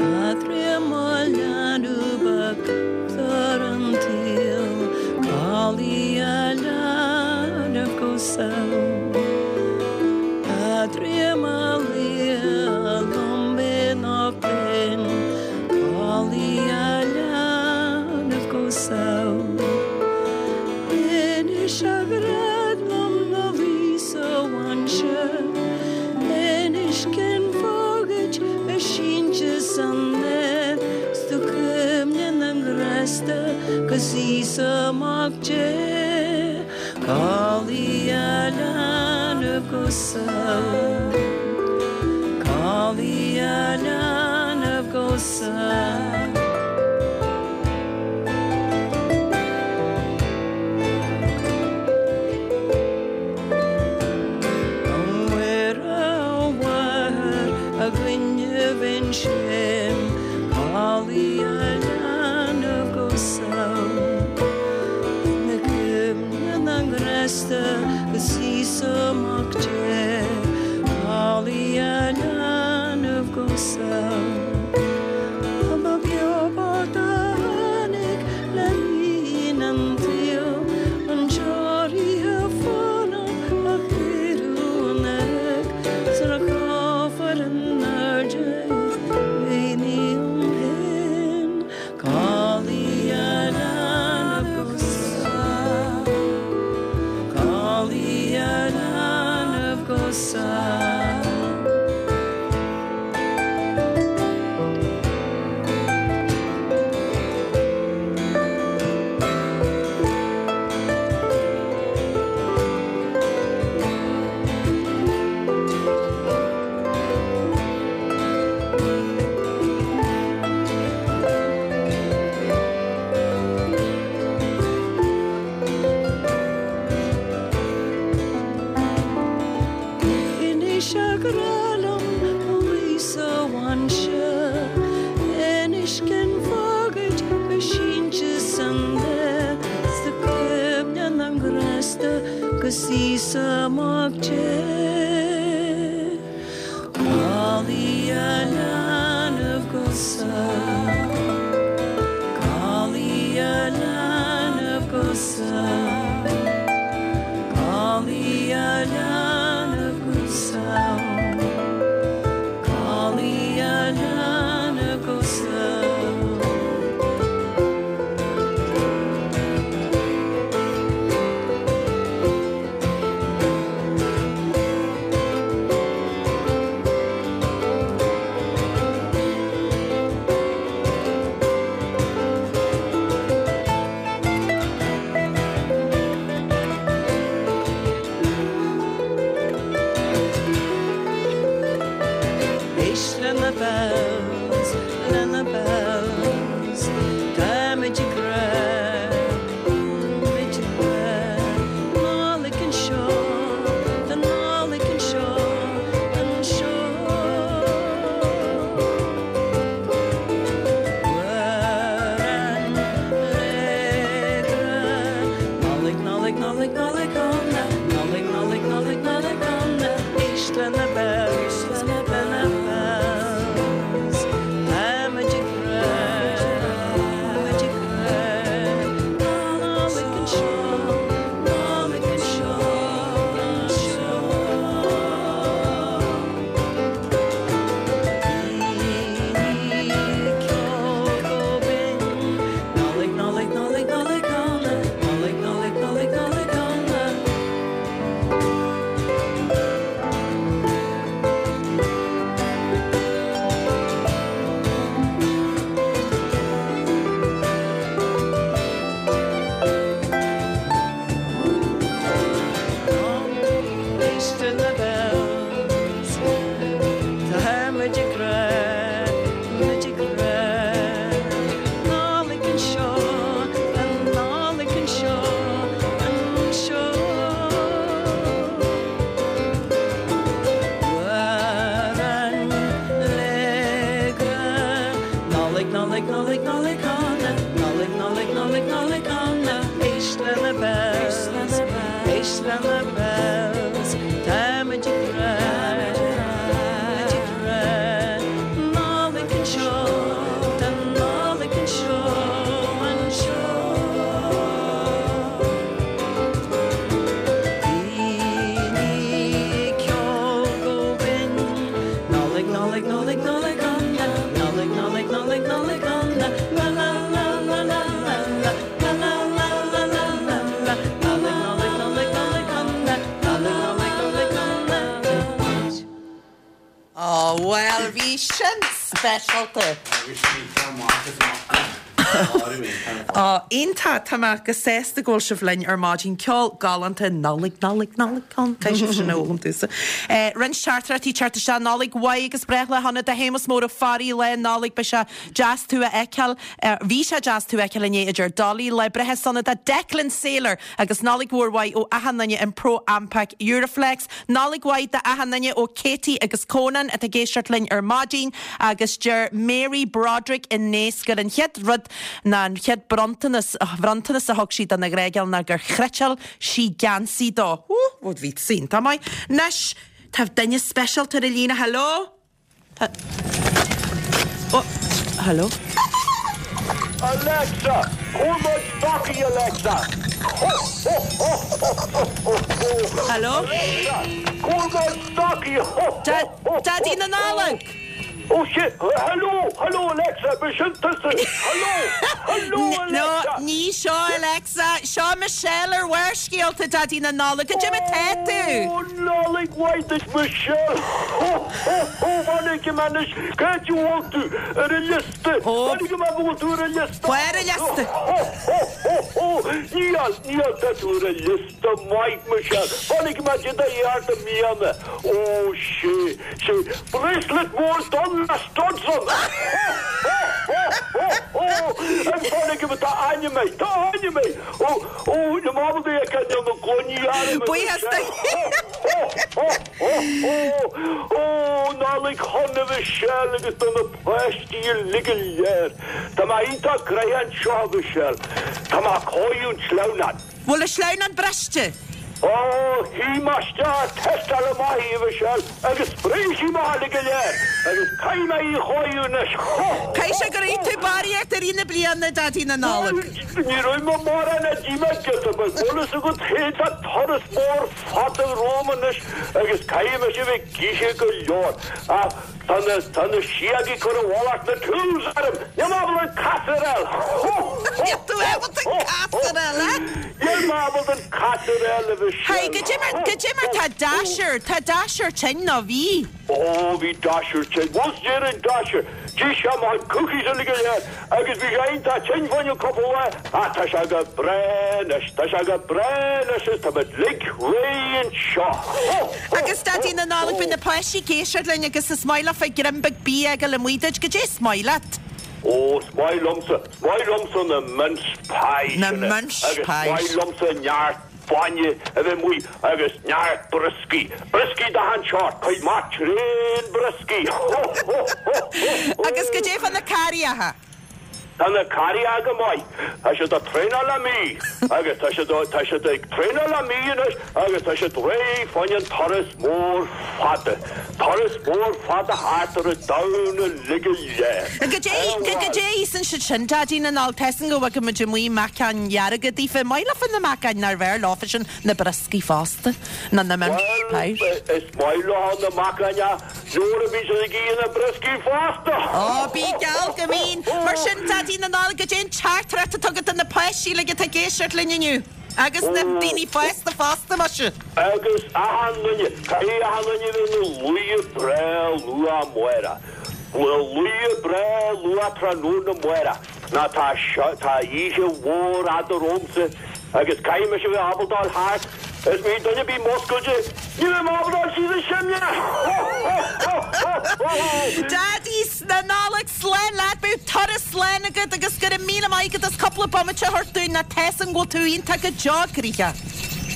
A Dhia mo leanbh beag ar an tsaol, codlaigh a leanbh go sall. A Dhia mo lia liom nach binn, codlaigh a leanbh go sall. Inis a ghrá liom mo luí sa mhainséar, Inis cén fáth dhuit bheith sínte san aer, 'S tú cuimhne na ngrásta 'gus Íosa Mac Dé, Codlaigh a leanbh go sall, Codlaigh a leanbh go sall. A Mhuire a Mháthair againne ansin, Codlaigh a leanbh go sall. Na cuimhne na ngrásta 'gus Íosa Mac Dé, Codlaigh a leanbh go sall. Ba beo bocht a tháinig le linn an tsaoil, an deoraithe fánach a oiriúnach, sula gcuirfear in airde é ní ó shin. Codlaigh a leanbh go sall, codlaigh a leanbh go sall. Inis a ghrá liom mo luí sa mhainséar, Inis cén fáth dhuit bheith sínte san aer, 's tú cuimhne na ngrásta 'gus Íosa Mac Dé. Codlaigh a leanbh go sall, Codlaigh a leanbh go sall, Codlaigh a leanbh go sall, Codlaigh a leanbh go sall. Bells, le na Bells. Tá muid ag rá, tá muid ag rá, Nollaig anseo, Nollaig anseo, anseo. Daoine ag ceol go binn, Nollaig, Nollaig, Nollaig, Nollaig shona, Nollaig, Nollaig, Nollaig, Nollaig shona. Éist le na bells, tá muid ag rá, muid ag rá, Nollaig anseo, an Nollaig anseo, anseo. Amhrán le grá, Nollaig, Nollaig, Nollaig, Nollaig shona, Nollaig, Nollaig, Nollaig, Nollaig shona, éist le na bells, éist le na bells, tá muid ag rá, muid ag rá, Nollaig anseo, tá Nollaig anseo, anseo. Daoine ag ceol go binn, Nollaig, Nollaig, Nollaig, Nollaig shona, Nollaig, Nollaig, Nollaig, Nollaig shona, la la la la la la la, la la la la la la la, Nollaig, Nollaig, Nollaig, Nollaig shona, Nollaig, Nollaig, Nollaig shona. Ó, bhuel, bhí sin speisialta. Agus bhí ceann maith is maith. Ó, iontach, tá mé go sásta go bhfuil sibh linn ar maidin. Ceol galánta, Nollaig, Nollaig, Nollaig shona. Caithfidh sibh sin a fhoghlaim tusa. Roinnt teachtaireachtaí teacht isteach, Nollaig mhaith agus breithlá shona do Shéamus Mór Ó Fearraigh, Lá Nollag, beidh sé deas tú a fheiceáil, bhí sé deas tú a fheiceáil inné a deir Dolly, Lá breithe sona do Declan Saylor agus Nollaig mhór mhaith ó achan duine in Pro Ampac Euroflex. Nollaig mhaith do achan duine ó Katie agus Conan atá ag éisteacht linn ar maidin agus deir Mary Broderick i nDaoscar gur an chéad rud ná an chéad bronntanas bhronntanas a thug sí dona ghnáthgheal ná gur chniotáil sí geansaí dó. Ó, bhí iontach maith. Anois, tá duine speisialta ar an líne. Hello? Ó, hello? Alexa, cuir mo stocaí Alexa. Ho, ho, ho, ho, ho, ho, ho. Hello? Alexa, cuir mo stocaí Ho, ho, ho, ho, Daidí na Nollag! Oh shit, hello, hello Alexa, b'shin tusa, hello, hello Alexa. No, ní seo Alexa, seo Michelle ar Bharrscéalta, Daidí na Nollag, goidé mar tá tú? Ó, Nollaig mhaith duit Michelle, ho, ho, ho, fan go anois, cá háit a bhfuil tú ar an liosta, fan go mbeidh bhfuil tú ar an liosta, Ar an liosta. Ho, ho, ho, ho, níl, níl, tá tú ar an liosta maith Michelle, fan go mbeidh do dheartha miana, ó, sé, sé, bracelet mór donn le studs ann, ho, ho, ho, ho, ho, an fan go mbeidh tá ainm air, tá ainm air, ó, ó, na mámadaí ag ceann na gcloiní arm Buíochas do Ho, ho, ho, ho, ó, Nollaig shona Mhichelle agus do na páistí uilig go léir. Tá mé iontach gnoitheach anseo a Mhichelle. Tá mé ag cóiriú an tsleamhnáin. Bhfuil an sleamhnán briste? Ó, shuigh mé isteach, tástáil amach í, a Mhichelle, agus spréigh sí amach uilig go léir, agus caithfidh mé í a chóiriú anois. Ho, ho, Caithfidh sé gur ith tú barraíocht i rith na bliana, Daidí na Nollag. Ní raibh mé mórán a d'ith mé giota beag, bhfuil fhios agat féin, tá turas mór fada romham anois agus caithfidh mise a bheith ag ithe go leor. Ach tá na, tá na síogaí ag cur i bhfolach na tools orm! Níl mé ábalta an casúr a fháil! Ho! Ho! Níl tú ábalta an casúr a fháil, eh? Níl mé ábalta an casúr a fháil, a Mhichelle. Hey, goidé mar, goidé mar tá Dasher, tá Dasher tinn nó bhí? Ó, bhí Dasher tinn. Bhuel, déarfainn Dasher. D'ith sé mo chuid cookies uilig go léir agus bhí sé iontach tinn fá choinne cúpla lá ach tá sé go breá anois, tá sé go breá anois is táimid uilig réidh anseo. Ho! Ho! Agus Daidí na Nollag, bíonn na páistí ag éisteacht linn agus is maith leofa greim beag bia a fháil amuigh duit, goidé is maith leat? Ó, is maith liomsa, is maith liomsa na mince pies Na sin mince agus is pies. maith liomsa neart bainne a bheith amuigh agus neart brioscaí, brioscaí d'achan seort, cuid maith tréan brioscaí, ho, ho, ho, ho, ho. Agus goidé fá na carraíocha? Tá na carraithe go maith. Tá siad ag traenáil le mí agus tá siad tá siad ag traenáil le mí anois agus tá siad réidh fá choinne an turas mór fada. Turas mór fada thart ar an domhan uilig go léir. Goidé goidé a íosann siad sin, Daidí na Nollag? Tá 'fhios a'm go bhfaca muid amuigh meacain dhearga daofa. Maith leofa na meacain nárbh fhearr leofa sin na brioscaí fosta ná na mince pies. Bhuel, is maith leo na meacain ach Nuair a bhí siad ag ithe na brioscaí fosta! Ó, bí geall go mbíonn! Mar sin, Daidí na Nollag, goidé an teachtaireacht atá agat do na páistí uilig atá ag éisteacht linn inniu? Agus na daoine fásta fosta, muise! Agus achan duine, caithfidh achan duine a bheith ina luí breá luath amárach. Ina luí breá luath tráthnóna amárach. Nó tá seo, tá oíche mhór fhada romhamsa agus caithfidh mise a bheith ábalta dul thart is má bhí duine ar bith múscailte, ní bheidh mé ábalta dul síos an simléar! Ho! Ho! Ho! Ho! Ho! Daidí na Nollag, slán leat, bíodh turas slán agat agus go raibh míle maith agat as cúpla bomaite a thabhairt dúinn, nó tá 'fhios a'm go bhfuil tú iontach go deo gnoitheach.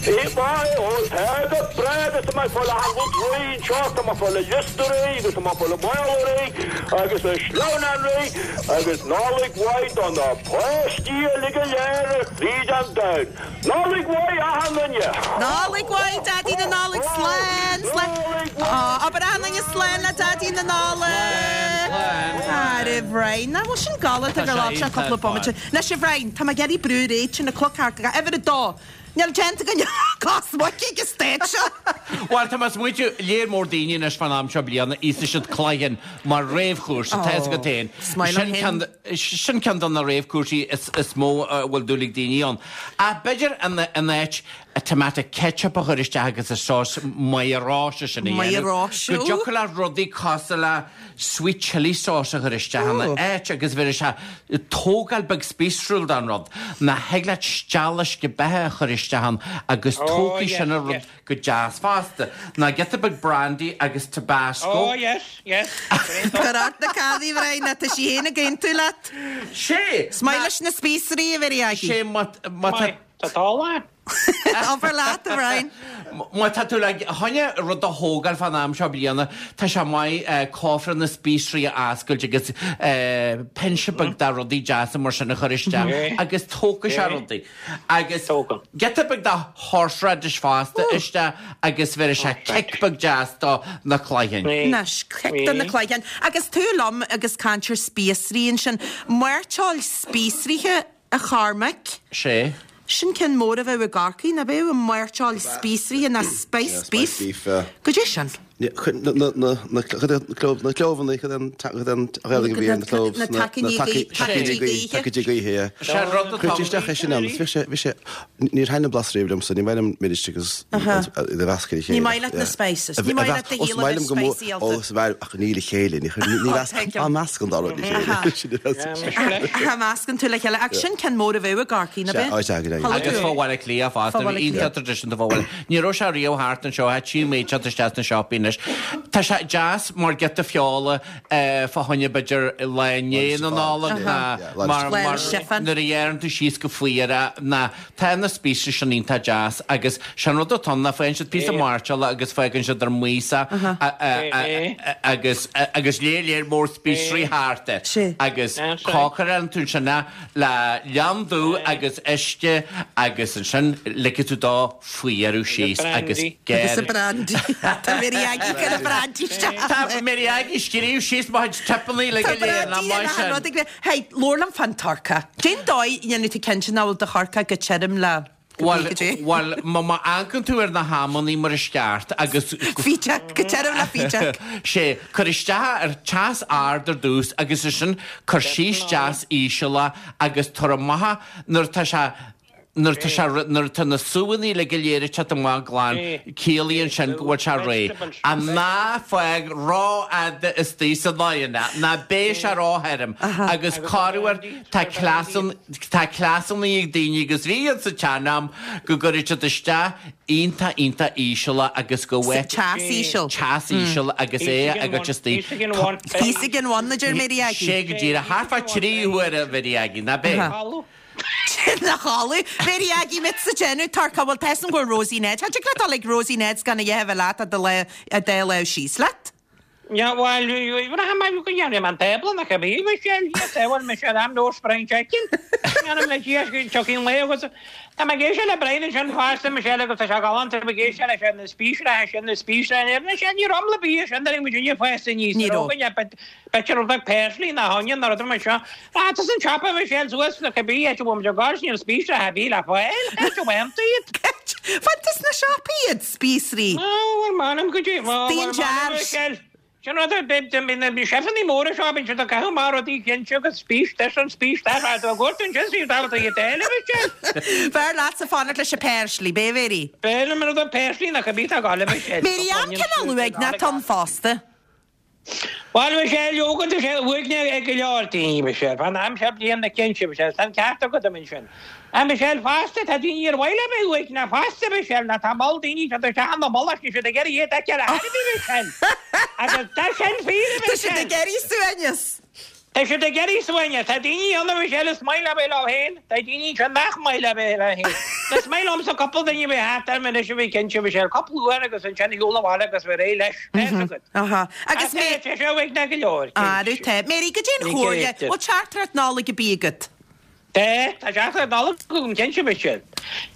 Maith, ó, tá go breá agus tá mé ag fáil achan rud réidh anseo, tá mé ag fáil an liosta réidh agus tá mé ag fáil an mála réidh agus an sleamhnán réidh agus Nollaig mhaith do na páistí uilig go léir ar fríd an domhan. Nollaig mhaith achan duine! Nollaig mhaith, Daidí na Nollag, slán, slán. Nollaig mhaith! Abair achan duine slán le Daidí na Nollag! Slán, slán. Ara Bhriain, nach bhfuil sin galánta gur labhair sé cúpla bomaite. Anois a Bhriain, tá mé ag iarraidh brú ar aghaidh, tá an cloch thart go uimhir a dó. Níl déanta againn ach cos muice ag an staid seo. Bhuel, tá mé ag smaointiú, léir mór daoine anois fán am seo bliana, íosfaidh siad cloigtheann mar réamhchúrsa, tá fhios agat féin. Is maith liom Sin féin. Sin ceann de na réamhchúrsaí is mó a bhfuil dúil ag daoine ann. Ach b'fhéidir in áit tomato ketchup a chur isteach agus an sós maith oráiste sin a dhéanamh, Maith go dtiocfadh leat rudaí cosúil le sweet chilli sauce a chur isteach ina áit agus bheir sé tógáil beag spíosrúil don rud. Nó thig leat steall uisce beatha a chur isteach ann agus tógfaidh sin an rud go deas fosta. Nó giota beag brandy agus tabasco. Oh yes, yes. Cuir ort na cannaí, a Bhriain, tá sí féin ag aontú leat. Sé! Is maith leis na spíosraí, a Mhary Aggie. Sé má tá. Tá dála. Abair leat, a Bhriain. Má tá tú le choinne rud a thógáil fán am seo bliana, tá sé maith cófra na spíosraí a oscailt agus pinse beag de rudaí deasa mar sin a chur isteach agus tógfaidh sé rudaí. Agus giota beag de horseradish fosta isteach agus bheirfidh sé cic beag deas do na cloigthinn. Anois, cic do na cloigthinn. Agus tú liom agus caint ar spíosraí ansin, mairteoil spíosraithe A Chormaic. Sé. Sin ceann mór a bheadh i gCorcaigh, ná beadh? An mairteoil spíosraithe ná spiced beef. Spiced beef, yeah. Goidé sin? Na, na, na, na clóbhanna, cad é an, cad é an Ghaeilge a bhí ar na cloves? Na tacaíní gaoithe. Tacaíní gaoithe, tacaíní gaoithe, yeah. Sé an rud atá. Cuirtí isteach é sin ann, bhí sé, bhí sé, níor thaitin an blas riamh liomsa, ní maith liom milis agus iad a mheascadh le chéile. Ní maith leat na spices, ní maith leat do shaol a bheith spicy Ó, is maith ach ní le chéile, ní meascann dá rud le chéile. Cha meascann tú le chéile, ach sin ceann mór a bheadh i gCorcaigh, ná b'é? Sea, go deimhin. Agus fá Bhaile Átha Cliath fosta, bhí iontach traidisiúnta fá Bhaile. Ní raibh sé riamh thart anseo, ach tchím é ag teacht isteach sna siopaí anois. Tá sé deas mar giota feola fá choinne b'fhéidir lá i ndiaidh na Nollag ná mar nuair a ghearrann tú síos go fuar é ná Tá na spíosraí sin iontach deas agus sé an rud atá ann ná faigheann siad píosa mairteola agus fágann siad ar maos é agus agus léir léir mór spíosraí thart air agus cócarálann tú ansin é le leann dubh agus uisce agus ansin ligfidh tú dó fuarú síos agus Agus an brandy. Tá Mary Aggie ag cur an brandy isteach. Tá Mary Aggie ag scríobh síos mo chuid tipeanna le go Tá léir nach brandy maith in achan sin. rud ag Hey, labhair liom fán turcaí. Cén dóigh a ndéanfaidh tú cinnte nach bhfuil do thurcaí go tirim le Bhuel, go dtí? bhuel, má má amharcann tú ar na hamannaí mar is ceart agus. Fídeach, go tirim le fídeach. Sé, cuir isteach ar teas ard ar dtús agus ansin cuir síos deas íseal é agus tabhair amach nuair atá sé Nuair atá sé, nuair atá na súanna uilig go léir ag teacht amach glan, ciallaíonn sin go bhfuil sé réidh. Ach ná fág rófhada istigh san oigheann é, ná beidh sé róthirim. Agus corruair tá cleasanna, tá cleasanna ag daoine agus bhí ann sa tsean-am go gcuireadh siad isteach iontach, iontach íseal é agus go Sa teas íseal. Teas íseal agus é agat istigh. Thíos ag an bhun, a deir Mary Aggie. Sé go díreach, thart fá thrí huaire, a Mhary Aggie, ná b'é? Ina chodladh. Mary Aggie, mise ag déanamh turcaí, bhuel, tá 'fhios a'm go bhfuil Rosie Ned. Cha dtig leat dul ag Rosie Ned's gan a dhath a bheith leat a do lá, a dá lámh síos leat. Bhuel, bhraithim mar go ndéanfaidh mé an tábla nach ab é Michelle, yes, eh, bhuel Michelle, I'm no spring chicken. Déanaim le Dia go dtiocfaidh an lae agus tá mé ag éisteacht le Brian ansin fosta, Michelle, agus tá sé galánta, tá mé ag éisteacht leis ar na spíosraithe sin, na spíosraithe, Michelle, ní raibh am le bia sin, nuair a bhí muid inniu fásta aníos, Ní raibh. againne, b'fhéidir rud beag parsley ná onion nó rud mar seo. Ah, tá san siopa, Michelle, suas na cibé áit a bhfuil muid ag gabháil, níl spíosraithe ar bith le fáil, cá bhfaigheann tú iad? Faigheann tú sna siopaí iad, spíosraí. Bhuel, m'anam go dtí, bhuel, Danger. m'anam, Michelle. Sin rud ar bith, bíonn na seifeanna móra seo, bíonn siad ag caitheamh amach rudaí cinnte agus spís this and spís that, tá tú ag gortú ansin, is tábhachtach iad eile, Michelle. B'fhearr leatsa fanacht leis an parsley, b'é Mary? B'fhearr liom an rud parsley nach bith tá gá le Michelle. Mary, an cineál uaigneach atá ann fosta. Bhuel, Michelle, leoga, tá sé uaigneach ag go leor daoine, Michelle. Fán am seo bliana cinnte, Michelle, tá an ceart agat ansin. A Michelle, fosta, tá daoine ar mhaith leo bheith uaigneach fosta, Michelle, nó tá moll daoine siad isteach ina mullach, níl siad ag iarraidh iad a fheiceáil ar chor ar bith, Michelle. Agus tá sin fíor, a Tá siad Michelle. ag iarraidh suaimhneas. Tá siad ag iarraidh suaimhneas. Tá daoine ann, a Michelle, is maith leo bheith leo féin. Tá daoine anseo nach maith leo bheith leo féin. Is maith liomsa cúpla duine a bheith thart orm anois a bheith cinnte, Michelle, cúpla uair agus ansin a shiúl abhaile agus bheith réidh leis. Tá fhios agat. Aha. Agus Tá sé seo uaigneach go leor, Arú cinnte. tá. Mary, goidé an Ní chomhairle. creidim. Bhfuil teachtaireacht Nollag ar bith agat? Tá, tá teachtaireacht Nollag agam cinnte, Michelle.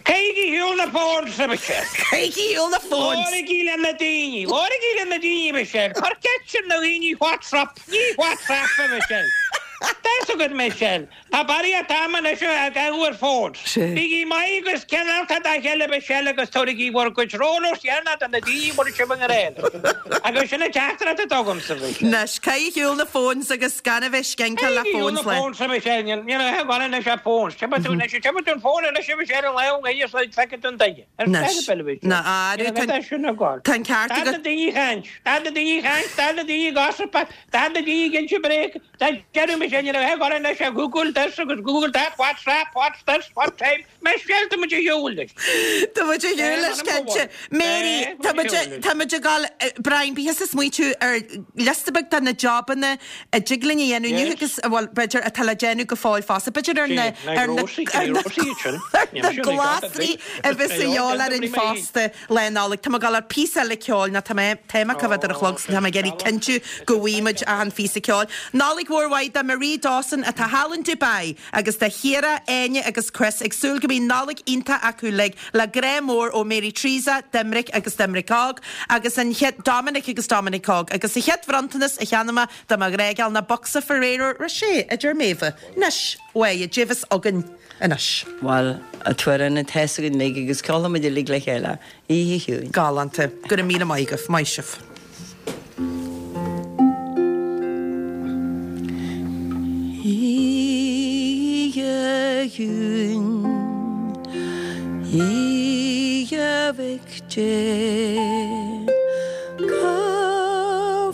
Caithigí ar shiúl na phones, a Michelle. Caithigí ar shiúl na phones. Labhraigí le na daoine, labhraigí le na daoine, Michelle. Cuir ceist ar na daoine what's up, ní WhatsApp, a Michelle. Tá fhios agat, Michelle. Tá barraíocht ama anois á gcaitheamh ar phones. Bígí maith agus cineálta dá chéile, Michelle, agus tabhraigí bhur gcuid rollers dheireanach do na daoine a bhfuil sibh i ngrá leo. Agus sin an teachtaireacht atá agamsa, Michelle. Anois, caith ar shiúl na phones agus gan a bheith scinceáil le Caith ar shiúl phones na le. phones, a Michelle. Níl a dhath anois ach phones. Tiocfaidh tú anois, tiocfaidh tú an phone anois, a Michelle, an lá ó ghaoth is feicfidh tú an duine. Ar Anois. feadh a bhil, Na, arú, Níl a dhath sin ag gabháil. tá an ceart Tá na agat. daoine ag caint. Tá na daoine ag caint, tá na daoine ag gossip, tá na daoine ag inse bréag. Tá deireadh, Michelle, níl a dhath ag gabháil anois ach Google this agus Google that, WhatsApp, what's this, what time. Michelle, tá muid ar shiúl leis. Tá muid ar shiúl leis, cinnte. Mary, tá muid, tá muid ag gabháil, Brian, bíodh ag smaoitiú ar liosta beag de na jobanna a dtig linn a dhéanamh inniu agus, bhuel, b'fhéidir, atá le déanamh go fóill fosta. B'fhéidir ar na, ar na, ar na, ar na glasraí a bheas a dhíobháil orainn fosta Lá Nollag. Tá mé ag gabháil ar phíosa eile ceoil, nó tá mé, tá mé ag ar an chlog, so tá mé ag iarraidh cinntiú go bhfaighidh muid achan phíosa ceoil. Nollaig mhór mhaith do Marie Dawson atá thall in Dubai agus do Chiara, Áine agus Chris ag súil go mbeidh Nollaig iontach acu uilig le grá mór ó Mary Teresa, Doimnic agus Doimnic Óg agus an chéad Dominic agus Dominic Óg agus an chéad bhronntanas a cheannaigh mé do mo ghrágeal ná bocsa Ferrero Rocher a deir Méabh. Anois, uaidh, goidé bheas againn anois. Bhuel, an t-amhrán atá againn uilig agus ceolfaimid uilig le chéile, Oíche Chiúin. Galánta. Go raibh míle maith agaibh. Maith sibh. Oíche chiúin, Oíche Mhic Dé, Cá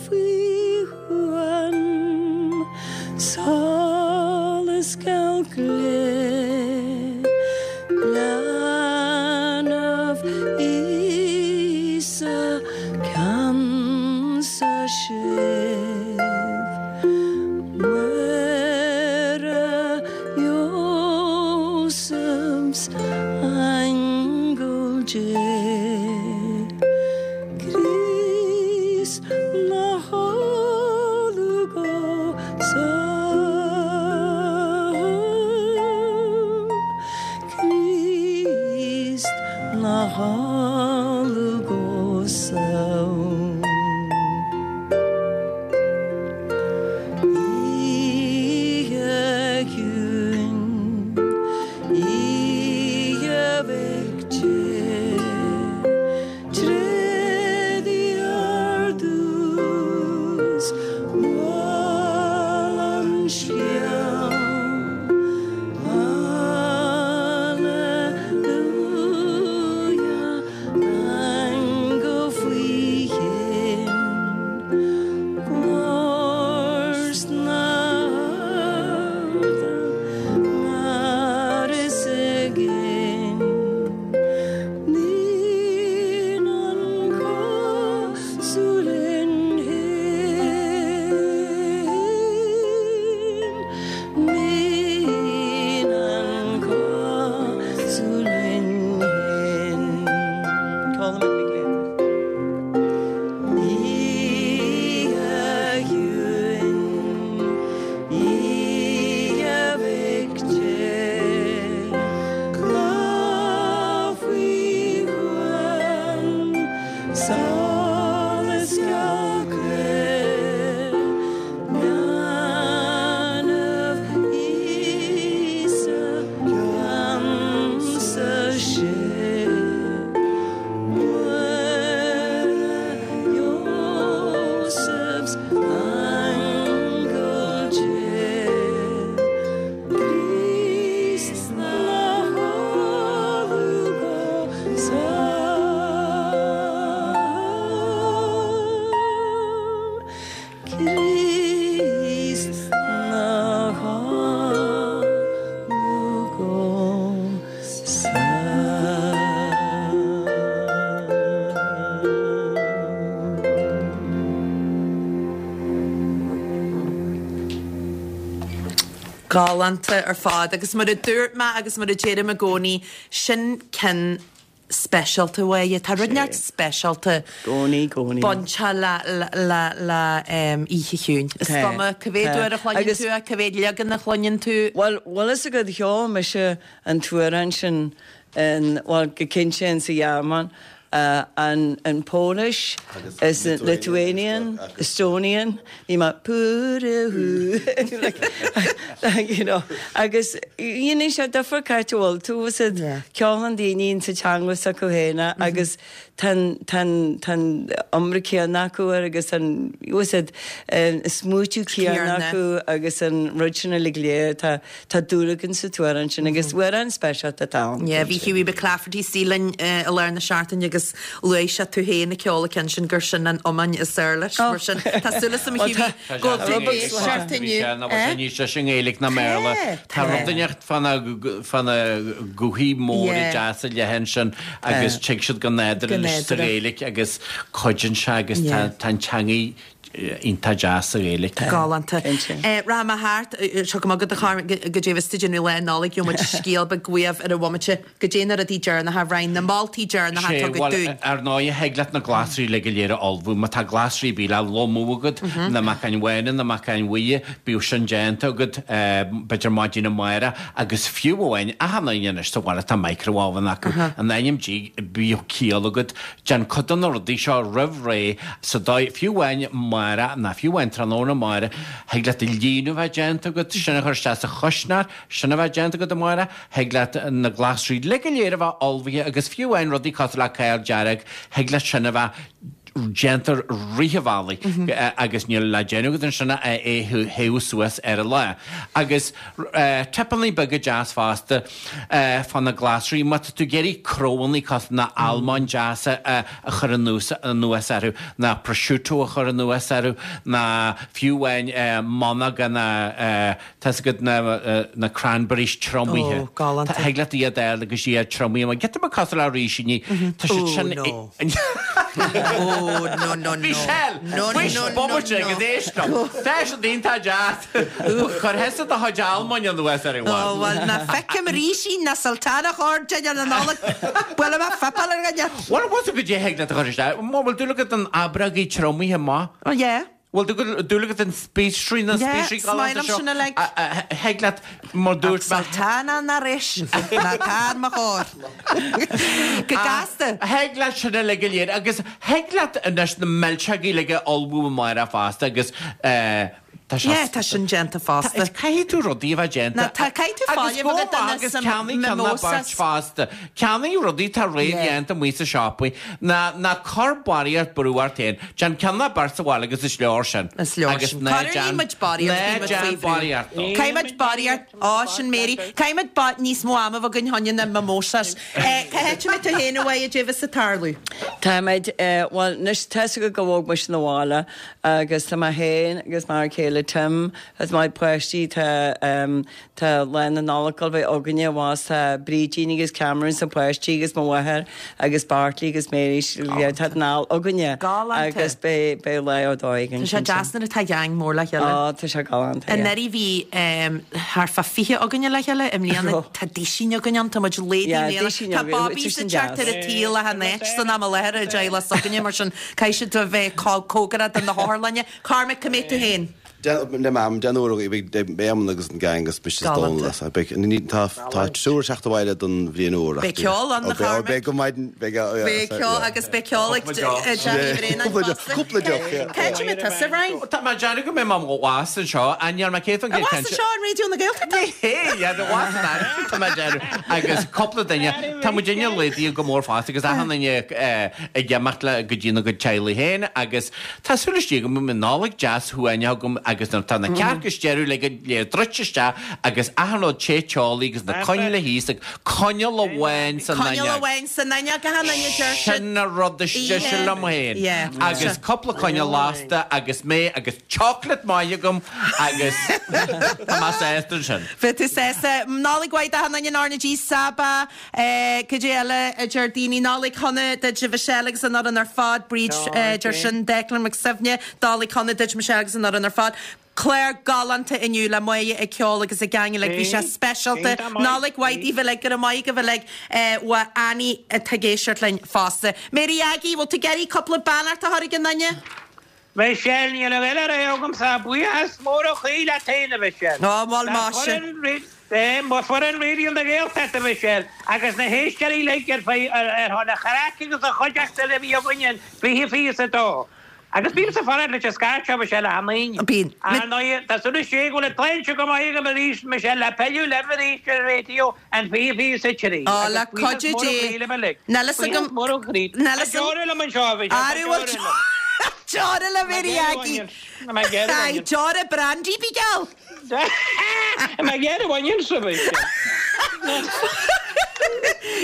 faoi shuan solas geal glé, Leanbh Íosa ceansa sibh, Muire, Iósaf 's Aingeal Dé. Críost na chodladh go sámh, Críost 'na chodladh go sámh. Oíche chiúin, oíche Mhic Dé. Tréad ardú. Aingeal Dé, Críost 'na chodladh go sámh. Críost 'na chodladh go sámh. Galánta ar fad agus mar a dúirt mé agus mar a deirim i gcónaí, sin ceann speisialta uaidh. Tá rud inteacht speisialta Gcónaí, gcónaí. bainteach le, le, le Oíche Chiúin. Is cuma cá mhéad uair a chluineann tú é, cá mhéad leagan a chluineann tú. Bhuel, bhfuil fhios agat, cheol mise an t-amhrán sin in, bhuel, go cinnte in sa Ghearmáin, an, an Polish, is Lithuanian, Estonian, Bhí mé like you know agus dhéanann sé difear cá háit a bhfuil tú is iad ceolann daoine in sa teanga s'acu féin agus tá an tá an tá an iomra céanna acu air agus an is iad an smaoitiú céanna acu agus an rud sin uilig léir tá tá dúil againn sa t-amhrán sin agus amhrán speisialta atá ann. Yeah bhí Hughie McClafferty istigh linn i lár na seachtaine agus Luaigh sé tú féin ag ceol an ceann sin gur sin an iomáin is fhearr leis. Mar sin, tá súil agam a Hughie go bhfuil tú ag éisteacht inniu. Ná bhfuil sé níos deise i nGaeilge ná i mBéarla. Tá rud inteacht fá na guthaí móra deasa leathan ansin agus tig siad go nádúrtha leis sa Ghaeilge agus cuidíonn sé agus tá an teangaidh iontach deas sa Ghaeilge. Galánta. Rachaidh mé thart, seo go maith agat a Charm, goidé a bheas tú ag déanamh Lá Nollag, gheobhaidh muid scéal beag uaibh ar an bhomaite. Goidé na rudaí deireanacha, a Bhriain, na moltaí deireanacha Sé, atá agat bhuel, dúinn. ar ndóigh, thig leat na glasraí uilig go léir a ullmhú. Má tá glasraí ar bith le lomú agat, na meacáin bhána, na meacáin bhuí, bíodh sin déanta agat, b'fhéidir maidin amárach, agus fiú amháin, achan duine anois sa bhaile tá micro-oven acu, in ainm Dé, bíodh ciall agat, déan cuid de na rudaí seo roimh ré, sa dóigh, fiú amháin amárach, ná fiú amháin tráthnóna amárach, thig leat an líonadh a bheith déanta agat, sin a chur isteach sa chuisneoir, sin a bheith déanta agat amárach, Thig leat na glasraí uilig go léir a bheith ullmhaithe agus fiú amháin rudaí cosúil le cál dearg, thig leat sin a bheith déanta rith an bhealaigh agus níl le déanamh agat ansin ach é a théamh suas ar an lá. Agus tipeanna beaga deas fosta fá na glasraí, má tá tú ag iarraidh crobhingne cosúil na almóinn deasa a chur anuas orthu, ná prosciutto a chur anuas orthu, ná fiú amháin monóga ná Tá's agat na cranberries triomaithe. Ó, galánta. Thig leat iad a fháil agus iad triomaithe. Mar giota beag cosúil le rísíní. Tá siad sin. Ó, no. Ó, no, no, no. Michelle! No, no, Faois no, bomaite no. agus éist liom. Tá siad iontach deas. Cuir thusa do chuid almóinn anuas ar an Ó, bhfad. bhuel, ná feicim rísín ná sultana chóir dinnéar na Nollag. Buailfidh mé fuipeáil ar dhuine. Bhuel, bhfuil tú goidé thig leat a chur isteach? Má bhfuil dúil agat in aibreogaí triomaithe maith? Ó, yeah. Bhfuil dúil agat in spíosraí na Yeah, spíosraí is maith galánta liom seo? sin uilig. Thig leat mar dúirt mé. Sultana ná ris ná tá ar mo chóir. Go gasta. Thig leat sin uilig go léir agus thig leat anois na milseogaí uilig a ullmhú amárach fosta agus tá sé. Yeah, tá sin déanta fosta. Caithfidh tú rudaí a bheith déanta. Ná tá caithfidh tú fáil Agus go a bheith maith agus duine sa ceannaigh ceann ná beirt mimosas. fosta. Ceannaigh rudaí atá réamhdhéanta amuigh sa siopaí. Ná ná cuir barraíocht brú ort féin. Déan ceann ná beirt sa bhaile agus is leor sin. Is leor Agus sin. ná Cuireann déan muid barraíocht, ná bíonn muid déan faoi bhrú. barraíocht dó. Caithfidh muid barraíocht, á sin Mary, caithfidh muid ba, níos mó ama a bheith againn fá choinne na mimosas. Eh, cá háit a mbeidh tú féin a Mháire, goidé bheas ag tarlú? Táimid, eh, bhuel, anois tá's agat go bhog mise 'na bhaile agus tá mé féin agus m'fhear céile Tim agus mo pháistí, tá, em, Tá Lá na Nollag ag dul bheith againne abhus, tá Brídín agus Cameron is na páistí agus mo mháthair agus Bartley agus Mary tá an ál againne Galánta. agus beidh beidh lá ar dóigh againn Tá sé cinnte. deas nuair atá gang mór le chéile. Á tá sé galánta, yeah. Anuraidh bhí thart fá 20 againne le chéile, i mbliana Raibh. tá duisín againn ann, tá muid laghdaithe i Yeah, mbliana. duisín Tá againn, Bobby which is sa sin teacht deas. ar an tsaol achan áit san am i láthair i dteaghlach s'againne mar sin caithfidh siad a bheith cóngarach do na hotharlainne. Cormac, cá mbeidh tú féin? Le Mam, den uair beidh Éamonn agus an gang agus mise is Dónal as. Beidh, tá, tá triúr ag teacht abhaile don bhliain úr ach. Beidh ceol ann, a Chormaic. Beidh go maidin, beidh, yeah. Beidh ceol agus beidh ceol ag Johnny Bhréanainn fosta. Cúpla deoch, yeah. Cá háit a mbeidh tusa, Ryan? Tá mé ag déanamh go mbeidh mé abhus anseo, ach níl mé 100% Abhus anseo in Raidió na Gaeltachta? Hé, yeah, abhus in Airtrigh tá mé ag déanamh agus cúpla duine, tá muidinne laghdaithe go mór fosta agus achan duine ag imeacht le go dtí na gcuid teaghlaigh féin agus Tá súil istigh agam go mbeidh Nollaig deas shuaimhneach agam agus nuair atá na cearca is deireadh le go léir druidte isteach agus achan rud te teolaí agus na coinnle thíos ag coinneal amháin san Coinneal amháin san fhuinneog achan duine deir siad. Sin an rud is deise liom féin. Agus cúpla coinneal lasta agus mé agus chocolate maith agam agus tá mé sásta ansin. Bheadh tú sásta. Nollaig mhaith d'achan duine in RnaG Saba. Cad é eile a deir daoine? Nollaig shona duit a Mhichelle agus an fhoireann ar fad. Bríd deir sin. Declan Mac Suibhne, Nollaig shona duit Michelle agus an fhoireann ar fad. Clár galánta inniu le Máire ag ceol agus ag gang uilig. Bhí sé speisialta. Nollaig mhaith daoibh uilig. Go raibh maith agaibh uilig. Uaidh Annie atá ag éisteacht linn fosta. Mary Aggie, bhfuil tú ag iarraidh cúpla beannacht a chur ag an duine? Michelle, Níl a dhath eile le rá agamsa ach buíochas mór ó chroí leat féin, a Mhichelle. Ó, bhuel, maise. Le foireann Raidió na Gaeltachta, a Mhichelle, agus na héisteoirí uilig ar ar shon an chraic agus an chuideachta a bhí againn in 2022. Agus bímse ag fanacht leis an scairt seo, Michelle, achan Aoine. Bíonn. Ar ndóigh, tá súil istigh go bhfuil an tsláinte go maith agam arís, Michelle, le pilleadh libh arís ar an raidió in 2023. Ó, le cuidiú Dé. Níl fhios agam. Níl fhios agam. Deora liom anseo, a Mhichelle. Arú bhfuil deora le Mary Aggie. Aye, deora brandy, bí geall. Má ghearr bhaineann sa Mhichelle.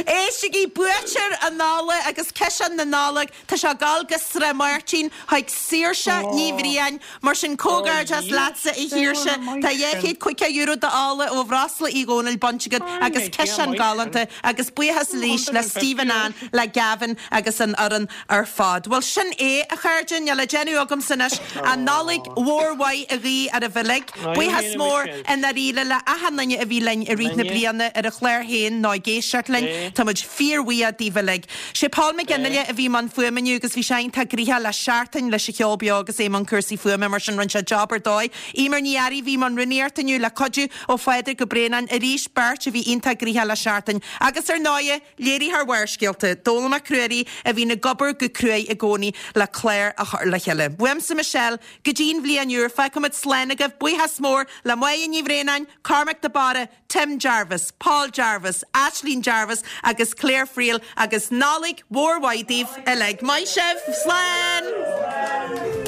Éistigí, buaiteoir an Nollag agus ciseán na Nollag. Tá sé ag dul go Srath Máirtín chuig Saoirse Ní Bhriain. Mar sin, comhghairdeas leatsa, a Shaoirse. Tá €250 d'ola ó Bhreosla Uí Dhónaill bainte agat agus ciseán galánta agus buíochas arís le Stephen Ann, le Gavin agus an fhoireann ar fad. Bhuel, sin é, a chairde. Níl le déanamh agamsa anois ach Nollaig mhór mhaith a ghuí oraibh uilig. Buíochas mór i ndáiríre le achan duine a bhí linn i rith na bliana ar an chlár féin nó ag éisteacht linn. Tá muid fíorbhuíoch daoibh uilig. Sé Paul Mac Fhionnghaile a bhí i mbun fuaime inniu agus bhí sé iontach gnoitheach le seachtain leis an cheol beo agus é i mbun cúrsaí fuaime mar sin rinne sé job ar dóigh. Eimear Ní Fhearraigh a bhí i mbun rúnaíochta inniu le cuidiú ó Phádraig Ó Braonáin arís beirt a bhí iontach gnoitheach le seachtain. Agus ar ndóighe, léiritheoir Bharrscéalta, Dónall Mac Ruairí a bhíonn ag obair go cruaidh i gcónaí le clár a chur le chéile. Uaimse Michelle, go dtí an bhliain úr, fágfaimid slán agaibh, buíochas mór le Máire Ní Bhraonáin, Cormac de Barra, Tim Jarvis, Paul Jarvis, Ashleen Jarvis agus Claire Friel agus Nollaig mhór mhaith daoibh uilig. Maith sibh! Slán!